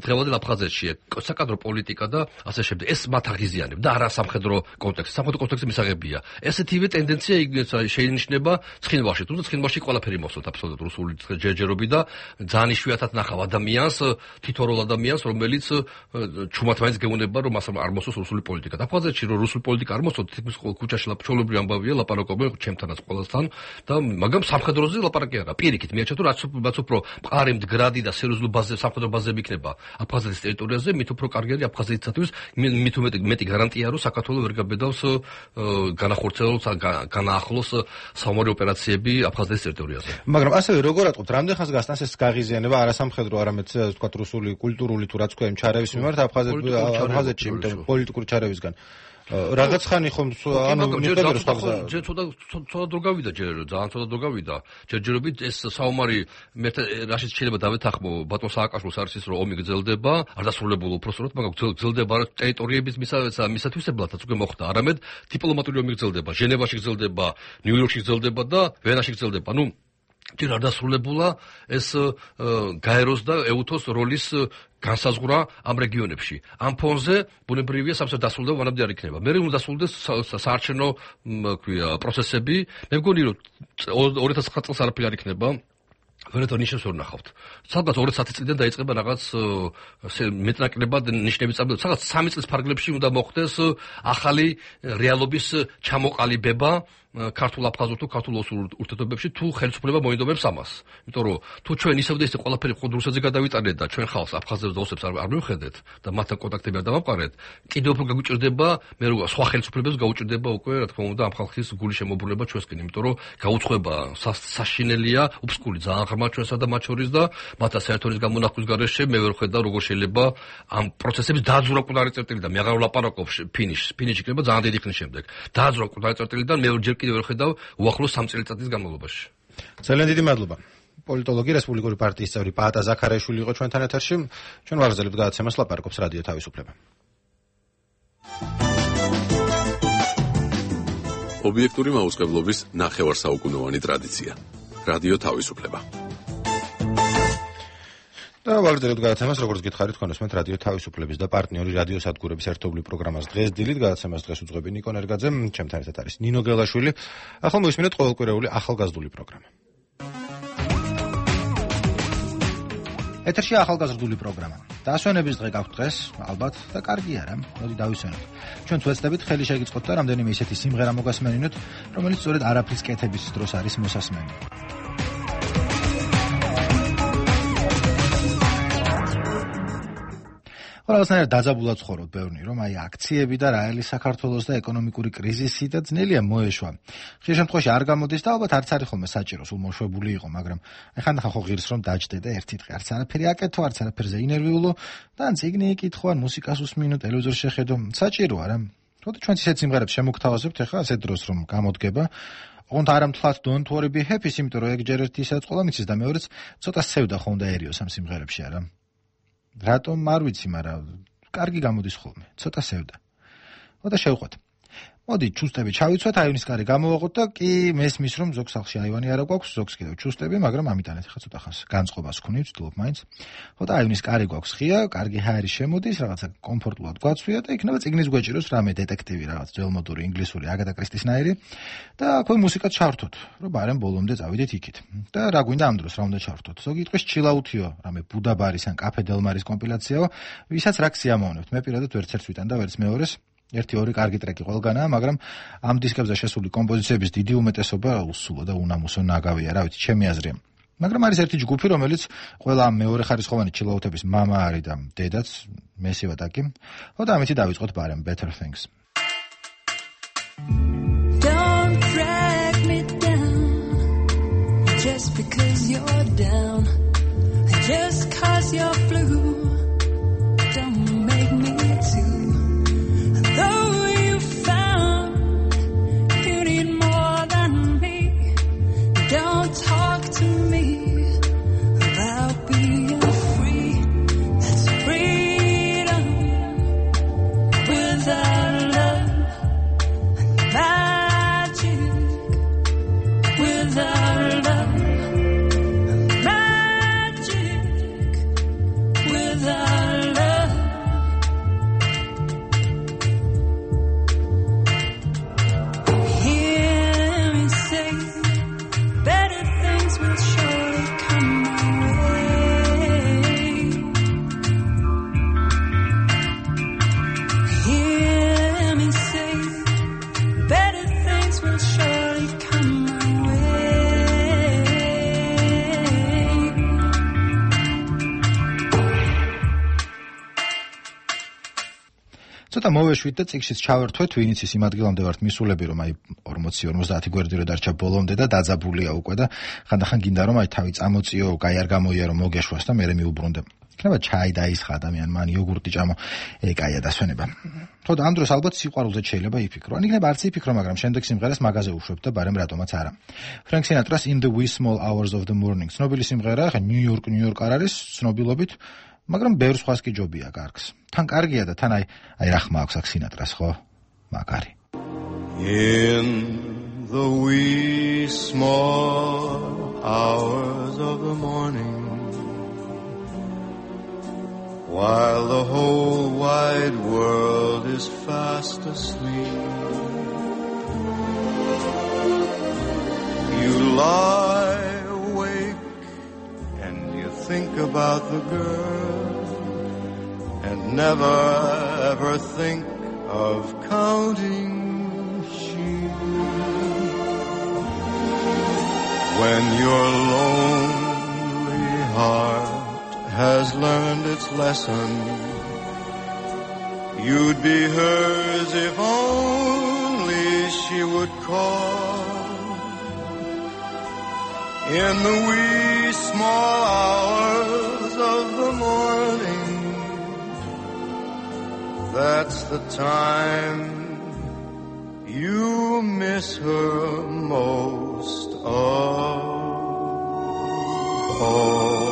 დღევანდელ აფხაზეთში. საკადრო პოლიტიკა და ასე შემდეგ. ეს მათ აღიზიანებს და არა სამხედრო კონტექსტი. სამხედრო კონტექსტი მისაღებია. ესეთივე ტენდენცია შეინიშნება ცხინვალში. თუმცა ცხინვალში ყველაფერი მოსვათ აბსოლუტურად რუსული ჯერჯერობით და ძალიან იშვიათად ნახავ ადამიანს, თითოეულ ადამიანს, რომელიც ჩუმად მაინც გეუბნება, რომ მას არ მოსვოს რუსული პოლიტიკა. აფხაზეთში რომ რუსული პოლიტიკა არ მოსვოს, თითქმის ქუჩაში ჩვეულებრივი ამბავია, ლაპარაკობენ ჩემთანაც ყველასთან და მაგრამ სამხედროზე ლაპარაკი არა. პირიქით მიაჩნია, რომ რაც უფრო მყარი მდგრადი და სერიოზული ბაზები, სამხედრო ბაზები იქნება აფხაზეთის ტერიტორიაზე, მით უფრო კარგი არის აფხაზეთისათვის, მით მეტი გარანტია, რომ საქართველოს ვერ გაბედავს განახორციელოს, განაახლოს საომარი ოპერაციები აფხაზეთის ტერიტორიაზე. მაგრამ ასევე როგორ ატყობთ, რამდენ ხანს გასტანს ეს გაღიზიანება არასამხედრო, არამედ თქვათ რუსული კულტურული თუ რაც ქვია იმ ჩარევის მიმართ აფხაზეთში, პოლიტიკური ჩარევისგან. რაღაც ხანი ხომ ჯერ ცოტა დრო გავიდა, ძალიან ცოტა დრო გავიდა. ჯერჯერობით ეს საომარი რაშიც შეიძლება დავეთანხმო, ბატონ სააკაშვილს არის ის, რომ ომი გრძელდება, არ დასრულებულა უпроსტოდ, მაგრამ გრძელდება ტერიტორიების მისათვისებლადაც უკვე მოხდა, არამედ დიპლომატიური ომი გრძელდება, ჟენევაში გრძელდება, ნიუ-იორკში გრძელდება და ვენაში გრძელდება. ჯერ არ დასრულებულა ეს გაეროს და ეუთოს როლის განსაზღვრა ამ რეგიონებში. ამ ფონზე ბუნებრივია სამსა დასრულდება, მანამდე არ იქნება. მე უნდა დასრულდეს საარჩევნო პროცესები. მე მგონი რომ 2009 წელს არაფერი არ იქნება. ვერეთო ნიშნებს ვერ ნახავთ. სადღაც 2010 წლიდან დაიწყება რაღაც მეტნაკლებად ნიშნების წამოწევა. სადღაც 3 წლის ფარგლებში უნდა მოხდეს ახალი რეალობის ჩამოყალიბება ქართულ აფხაზურ თუ ქართულ ოსურ ურთიერთობებში თუ ხელისუფლება მოინდომებს ამას. იმიტომ რომ თუ ჩვენ ისევ და ისე ყველაფერი ხოდ რუსეთზე გადავიტანეთ და ჩვენ ხალხს აფხაზებს და ოსებს არ მივხედეთ და მათთან კონტაქტები არ დავამყარეთ, კიდევ უფრო გაგვიჭირდება მე რო სხვა ხელისუფლებებს გაუჭირდება უკვე რა თქმა უნდა ამ ხალხის გულის შემოbrulება ჩვენსკენ, იმიტომ რომ გაუცხება საშინელია, უბსკული ძალიან ღრმა ჩვენსა და მათ შორის და მათთან საერთოდ გამონახვის გარეშე მე ვერ ხედავ როგორ შეიძლება ამ პროცესების დაძვრა კუდარი წერტილი და მე აღარ ვლაპარაკობ ფინიში იქნება ძალიან დიდი ხნის შემდეგ. დაძვრა კუდარი წერტილიდან მე ჯერ კიდევ ვერ ხედავ უახლოს 3 წელიწადის განმავლობაში. ძალიან დიდი მადლობა. პოლიტოლოგი რესპუბლიკური პარტიის წევრი პაატა ზაქარაიშვილი იყო ჩვენთან ეთერში. ჩვენ ვაგრძელებთ გადაცემას, ლაპარაკობს რადიო თავისუფლება. ობიექტური მაუწყებლობის ნახევარსაუკუნოვანი ტრადიცია. რადიო თავისუფლება. და ვაგრძელებთ გადაცემას, როგორც გითხარით, თქვენოსმენთ რადიო თავისუფლების და პარტნიორი რადიო სადგურების ერთობლივ პროგრამას დღეს დილით. გადაცემას დღეს უძღვები ნიკო ნერგაძე, ჩემთან ერთად არის ნინო გელაშვილი. ახლა მოვისმინეთ ყოველკვირეული ახალგაზრდული პროგრამა. ეთერში ახალგაზრდული პროგრამა. დასვენების დღე გაქვთ დღეს, ალბათ და კარგი არა, მოდი დავისვენოთ. ჩვენ ვეცდებით ხელი შეგიწყოთ და რამდენიმე ისეთი სიმღერა მოგასმენინოთ, რომელიც სწორედ არაფრის კეთების დროს არის მოსასმენი. ყველასნაირად დაძაბულად ცხოვრობ ბევრნი, რომ აი აქციები და რაელი საქართველოს და ეკონომიკური კრიზისი და ძნელია მოეშვა. ხშირ შემთხვევაში არ გამოდის და ალბათ არც არის ხოლმე საჭირო, სულ მოშვებული იყო, მაგრამ აი ხანდახან ხო ღირს რომ დაჯდე და ერთი დღე არც არაფერი აკეთო, არც არაფერზე ინერვიულო და ან წიგნი იკითხო, ან მუსიკას უსმინო, ტელევიზორს შეხედო, საჭირო არა. თორე ჩვენ ისეთ სიმღერებს შემოგთავაზებთ ახლა ასეთ დროს რომ გამოდგება. ოღონდ არ ამთლათ don't worry be happy, იმიტომ რომ ეგ ჯერ ერთი ისაც ყოლა მიცის და მეორეც ცოტა სევდა ხო უნდაერიოს ამ სიმღერებში არა. რატომ არ ვიცი, მაგრამ კარგი გამოდის ხოლმე, ცოტა სევდა. და შევყვეთ. მოდი ჩუსტები ჩავიცვათ, აივნის კარი გამოვაყოთ და კი მესმის რომ ზოგ სახლში აივანი არა გვაქვს, ზოგს კიდევ ჩუსტები, მაგრამ ამიტანეთ ხა ცოტა ხანს განწყობას ვქნით, ვცდილობ მაინც. და აივნის კარი გვაქვს ღია, კარგი ჰაერი შემოდის, რაღაცა კომფორტულად გვაცვია და იქნება წიგნის გვეჭიროს რამე დეტექტივი, რაღაც ძველმოდური ინგლისური აგატა კრისტისნაირი და აქვე მუსიკა ჩავრთოთ, რომ ბარემ ბოლომდე წავიდეთ იქით. და რა გვინდა ამ დროს რა უნდა ჩავრთოთ? ზოგი იტყვის ჩილაუთიო, რამე ბუდაბარის ან კაფე დელმარის კომპილაციაო, ვისაც რა ქსიამოვნებთ. მე პირადად ვერც ერთს ვიტან და ვერც მეორეს. ერთი-ორი კარგი ტრეკი ყველგანაა, მაგრამ ამ დისკებზე შესული კომპოზიციების დიდი უმეტესობა უსულო და უნამუსო ნაგავია, რა ვიცი, ჩემი აზრია. მაგრამ არის ერთი ჯგუფი, რომელიც ყველა ამ მეორე ხარისხოვანი ჩილაუთების მამა არის და დედაც, მესივა ტაკი. და ამით დავიწყოთ ბარემ Better Things. Don't drag me down just because you're down, just 'cause you're blue. Don't make me too. Though you found you need more than me, don't talk to me about being free. That's freedom without love and magic without love and magic without love. ცოტა მოვეშვით და წიგნშიც ჩავერთვეთ, ვინც ის იმ ადგილამდე ვართ მისულები, რომ აი 40-50 გვერდი რო დარჩა ბოლომდე და დაძაბულია უკვე და ხანდახან გინდა რომ აი თავი წამოწიო, კაი არ გამოიარო, მოგეშვას და მერე მიუბრუნდე. იქნება ჩაი დაისხა ადამიანი, მან იოგურტი ჭამო, ეკაია დასვენება. ხო და ამ დროს ალბათ სიყვარულზე შეიძლება იფიქრო. ან იქნება არც იფიქრო, მაგრამ შემდეგ სიმღერას მაგაზე უშვებ და ბარემ რატომაც არა. Frank Sinatra's In the Wee Small Hours of the Morning. ცნობილი სიმღერაა, ხა ნიუ-იორკ არ არის ცნობილობით, მაგრამ ბევრ სხვას კი ჯობია კარგს. თან კარგია და თან აი რა ხმა აქვს აქ სინატრას, ხო? მაგარი. In the wee small hours of the morning, while the whole wide world is fast asleep, you lie awake and you think about the girl and never ever think of counting sheep. When your lonely heart has learned its lesson, you'd be hers if only she would call. In the wee small hours of the morning, that's the time you miss her most of all.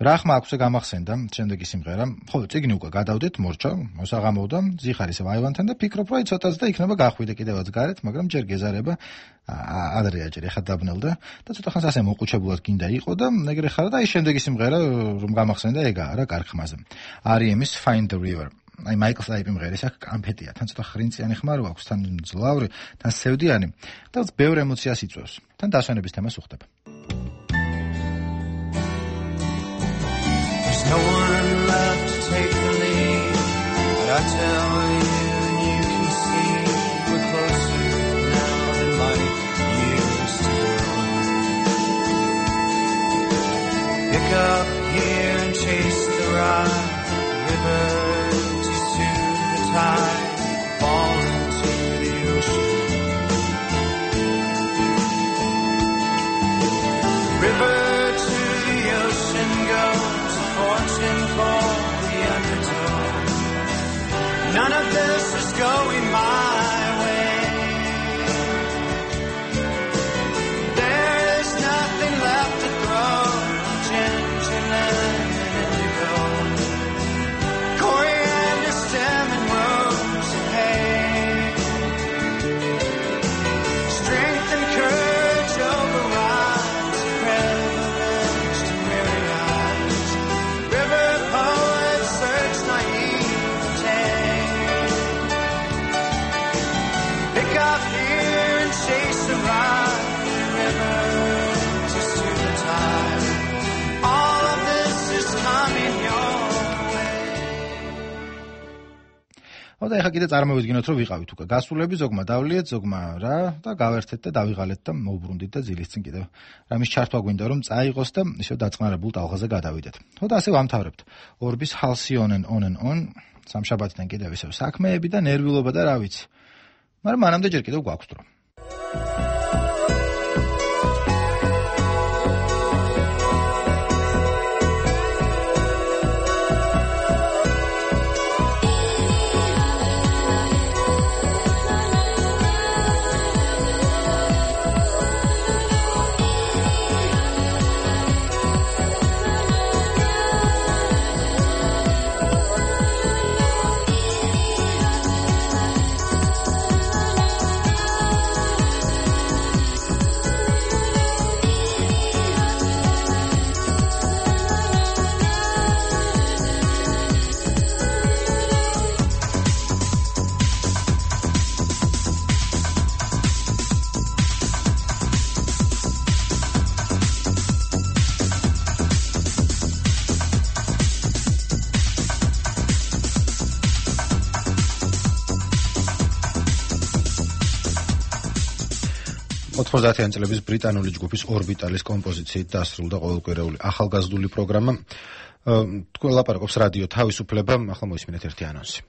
რა ხმა აქვს გამახსენდა შემდეგი სიმღერა. ხო, წიგნი უკვე გადავდეთ, მორჩა, მოსაღამოვდა, ზიხარ ისევ აივანთან და ფიქრობ, რომ ცოტაც და იქნება გახვიდე კიდევაც გარეთ, მაგრამ ჯერ გეზარება ადრეა ჯერ ეხა დაბნელდა და ცოტა ხანს ასე მოყუჩებულად გინდა იყო და ეგრე ხარ და აი შემდეგი სიმღერა რომ გამახსენდა ეგაა რა კარხმაზე. R.E.M.-ის Find the River. აი მაიკლ სტაიპი მღერის აქ კამფეტია, თან ცოტა ხრინწიანი ხმარო აქვს, თან ძლავრი, თან სევდიანი და ბევრ ემოციას იწვევს. თან დასვენების თემას უხდება. No one left to take the lead, but I tell you and you can see we're closer now than light used to go. Pick up here and chase the ride, river to soothe the tide, fall into the ocean. River to the ocean goes, fortune for the underdog. None of this is going my way. There is nothing left to throw. Ginger, lemon, indigo, coriander, stem, and rose and hay. Strength and courage overrides privilege to weary eyes. River poets search naivete. Pick up here and chase a ride. River just to the tide. All of this is coming your way. და ეხლა კიდე წარმოვიდგინოთ, რომ ვიყავით უკვე გასულები, ზოგმა დავლიეთ, ზოგმა რა და გავერთეთ და დავიღალეთ და მოვბრუნდით და ძილის წინ კიდევ რამის ჩართვა გვინდა, რომ წაიღოს და ისევ დაწყნარებულ ტალღაზე გადავიდეთ. ხო და ასე ვამთავრებთ. ორბის Halcyon on and on, სამშაბათიდან კიდევ ისევ საქმეები და ნერვიულობა და რა ვიცი. მაგრამ მანამდე ჯერ კიდევ გვაქვს დრო. ოცდაათიანი წლების ბრიტანული ჯგუფის ორბიტალის კომპოზიციით დასრულდა ყოველკვირეული ახალგაზრდული პროგრამა. თქვენ ლაპარაკობს რადიო თავისუფლება, ახლა მოისმინეთ ერთი ანონსი.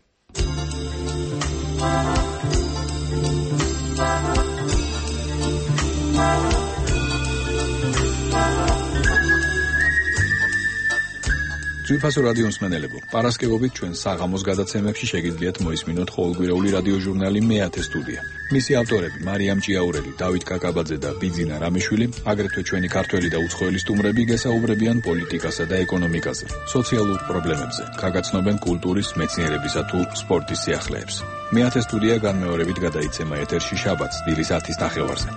ძვირფასო რადიო მსმენელებო, პარასკევობით ჩვენ საღამოს გადაცემებში შეგიძლიათ მოისმინოთ ყოველკვირეული რადიო ჟურნალი მეათე სტუდია. მისი ავტორები მარიამ ჭიაურელი, დავით კაკაბაძე და ბიძინა რამიშვილი, აგრეთვე ჩვენი ქართველი და უცხოელი სტუმრები გესაუბრებიან პოლიტიკასა და ეკონომიკაზე, სოციალურ პრობლემებზე, გაგაცნობენ კულტურის, მეცნიერებისა თუ სპორტის სიახლეებს. მეათე სტუდია განმეორებით გადაიცემა ეთერში შაბათს დილის 10-ის ნახევარზე.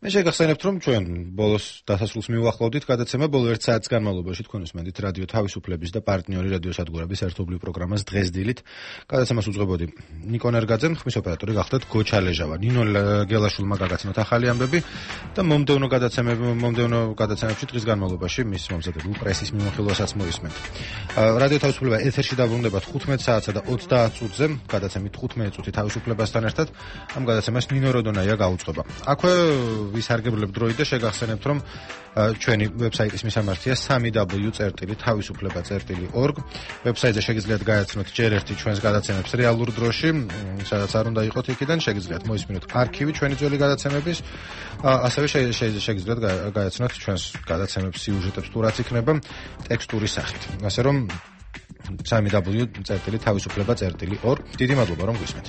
მე შეგახსენებთ, რომ ჩვენ ბოლოს დასასრულს მივახლოვდით გადაცემა ბოლო 1 საათის განმავლობაში თქვენ უსმენთ რადიო თავისუფლების და პარტნიორი რადიო სადგურების ერთობლივ პროგრამას დღეს დილით. გადაცემას უძღვებოდი ნიკო ნერგაძე, ხმის ოპერატორი გახლდათ გოჩა ლეჟავა. ნინო გელაშვილმა გაგაცნოთ ახალი ამბები და მომდევნო გადაცემებში დღის განმავლობაში მის მომზადებულ პრესის მიმოხილვასაც მოისმენთ. რადიო თავისუფლება ეთერში დაბრუნდება 15 საათსა და 30 წუთზე, გადაცემით 15 წუთი თავისუფლებასთან ერთად. ამ გადაცემას ნინო როდონაია გაუძღვება. აქვე ვისარგებლებ დროით და შეგახსენებთ, რომ ჩვენი ვებსაიტის მისამართია www.თავისუფლება.org. ვებსაიტზე შეგიძლიათ გააცნოთ ჯერ ერთი ჩვენს გადაცემებს რეალურ დროში, სადაც არ უნდა იყოთ იქიდან, შეგიძლიათ მოისმინოთ არქივი ჩვენი ძველი გადაცემების, ასევე შეგიძლიათ გააცნოთ ჩვენს გადაცემებს სიუჟეტებს თუ რაც იქნება ტექსტური სახით. ასე რომ www.თავისუფლება.org. დიდი მადლობა რომ გვისმენთ.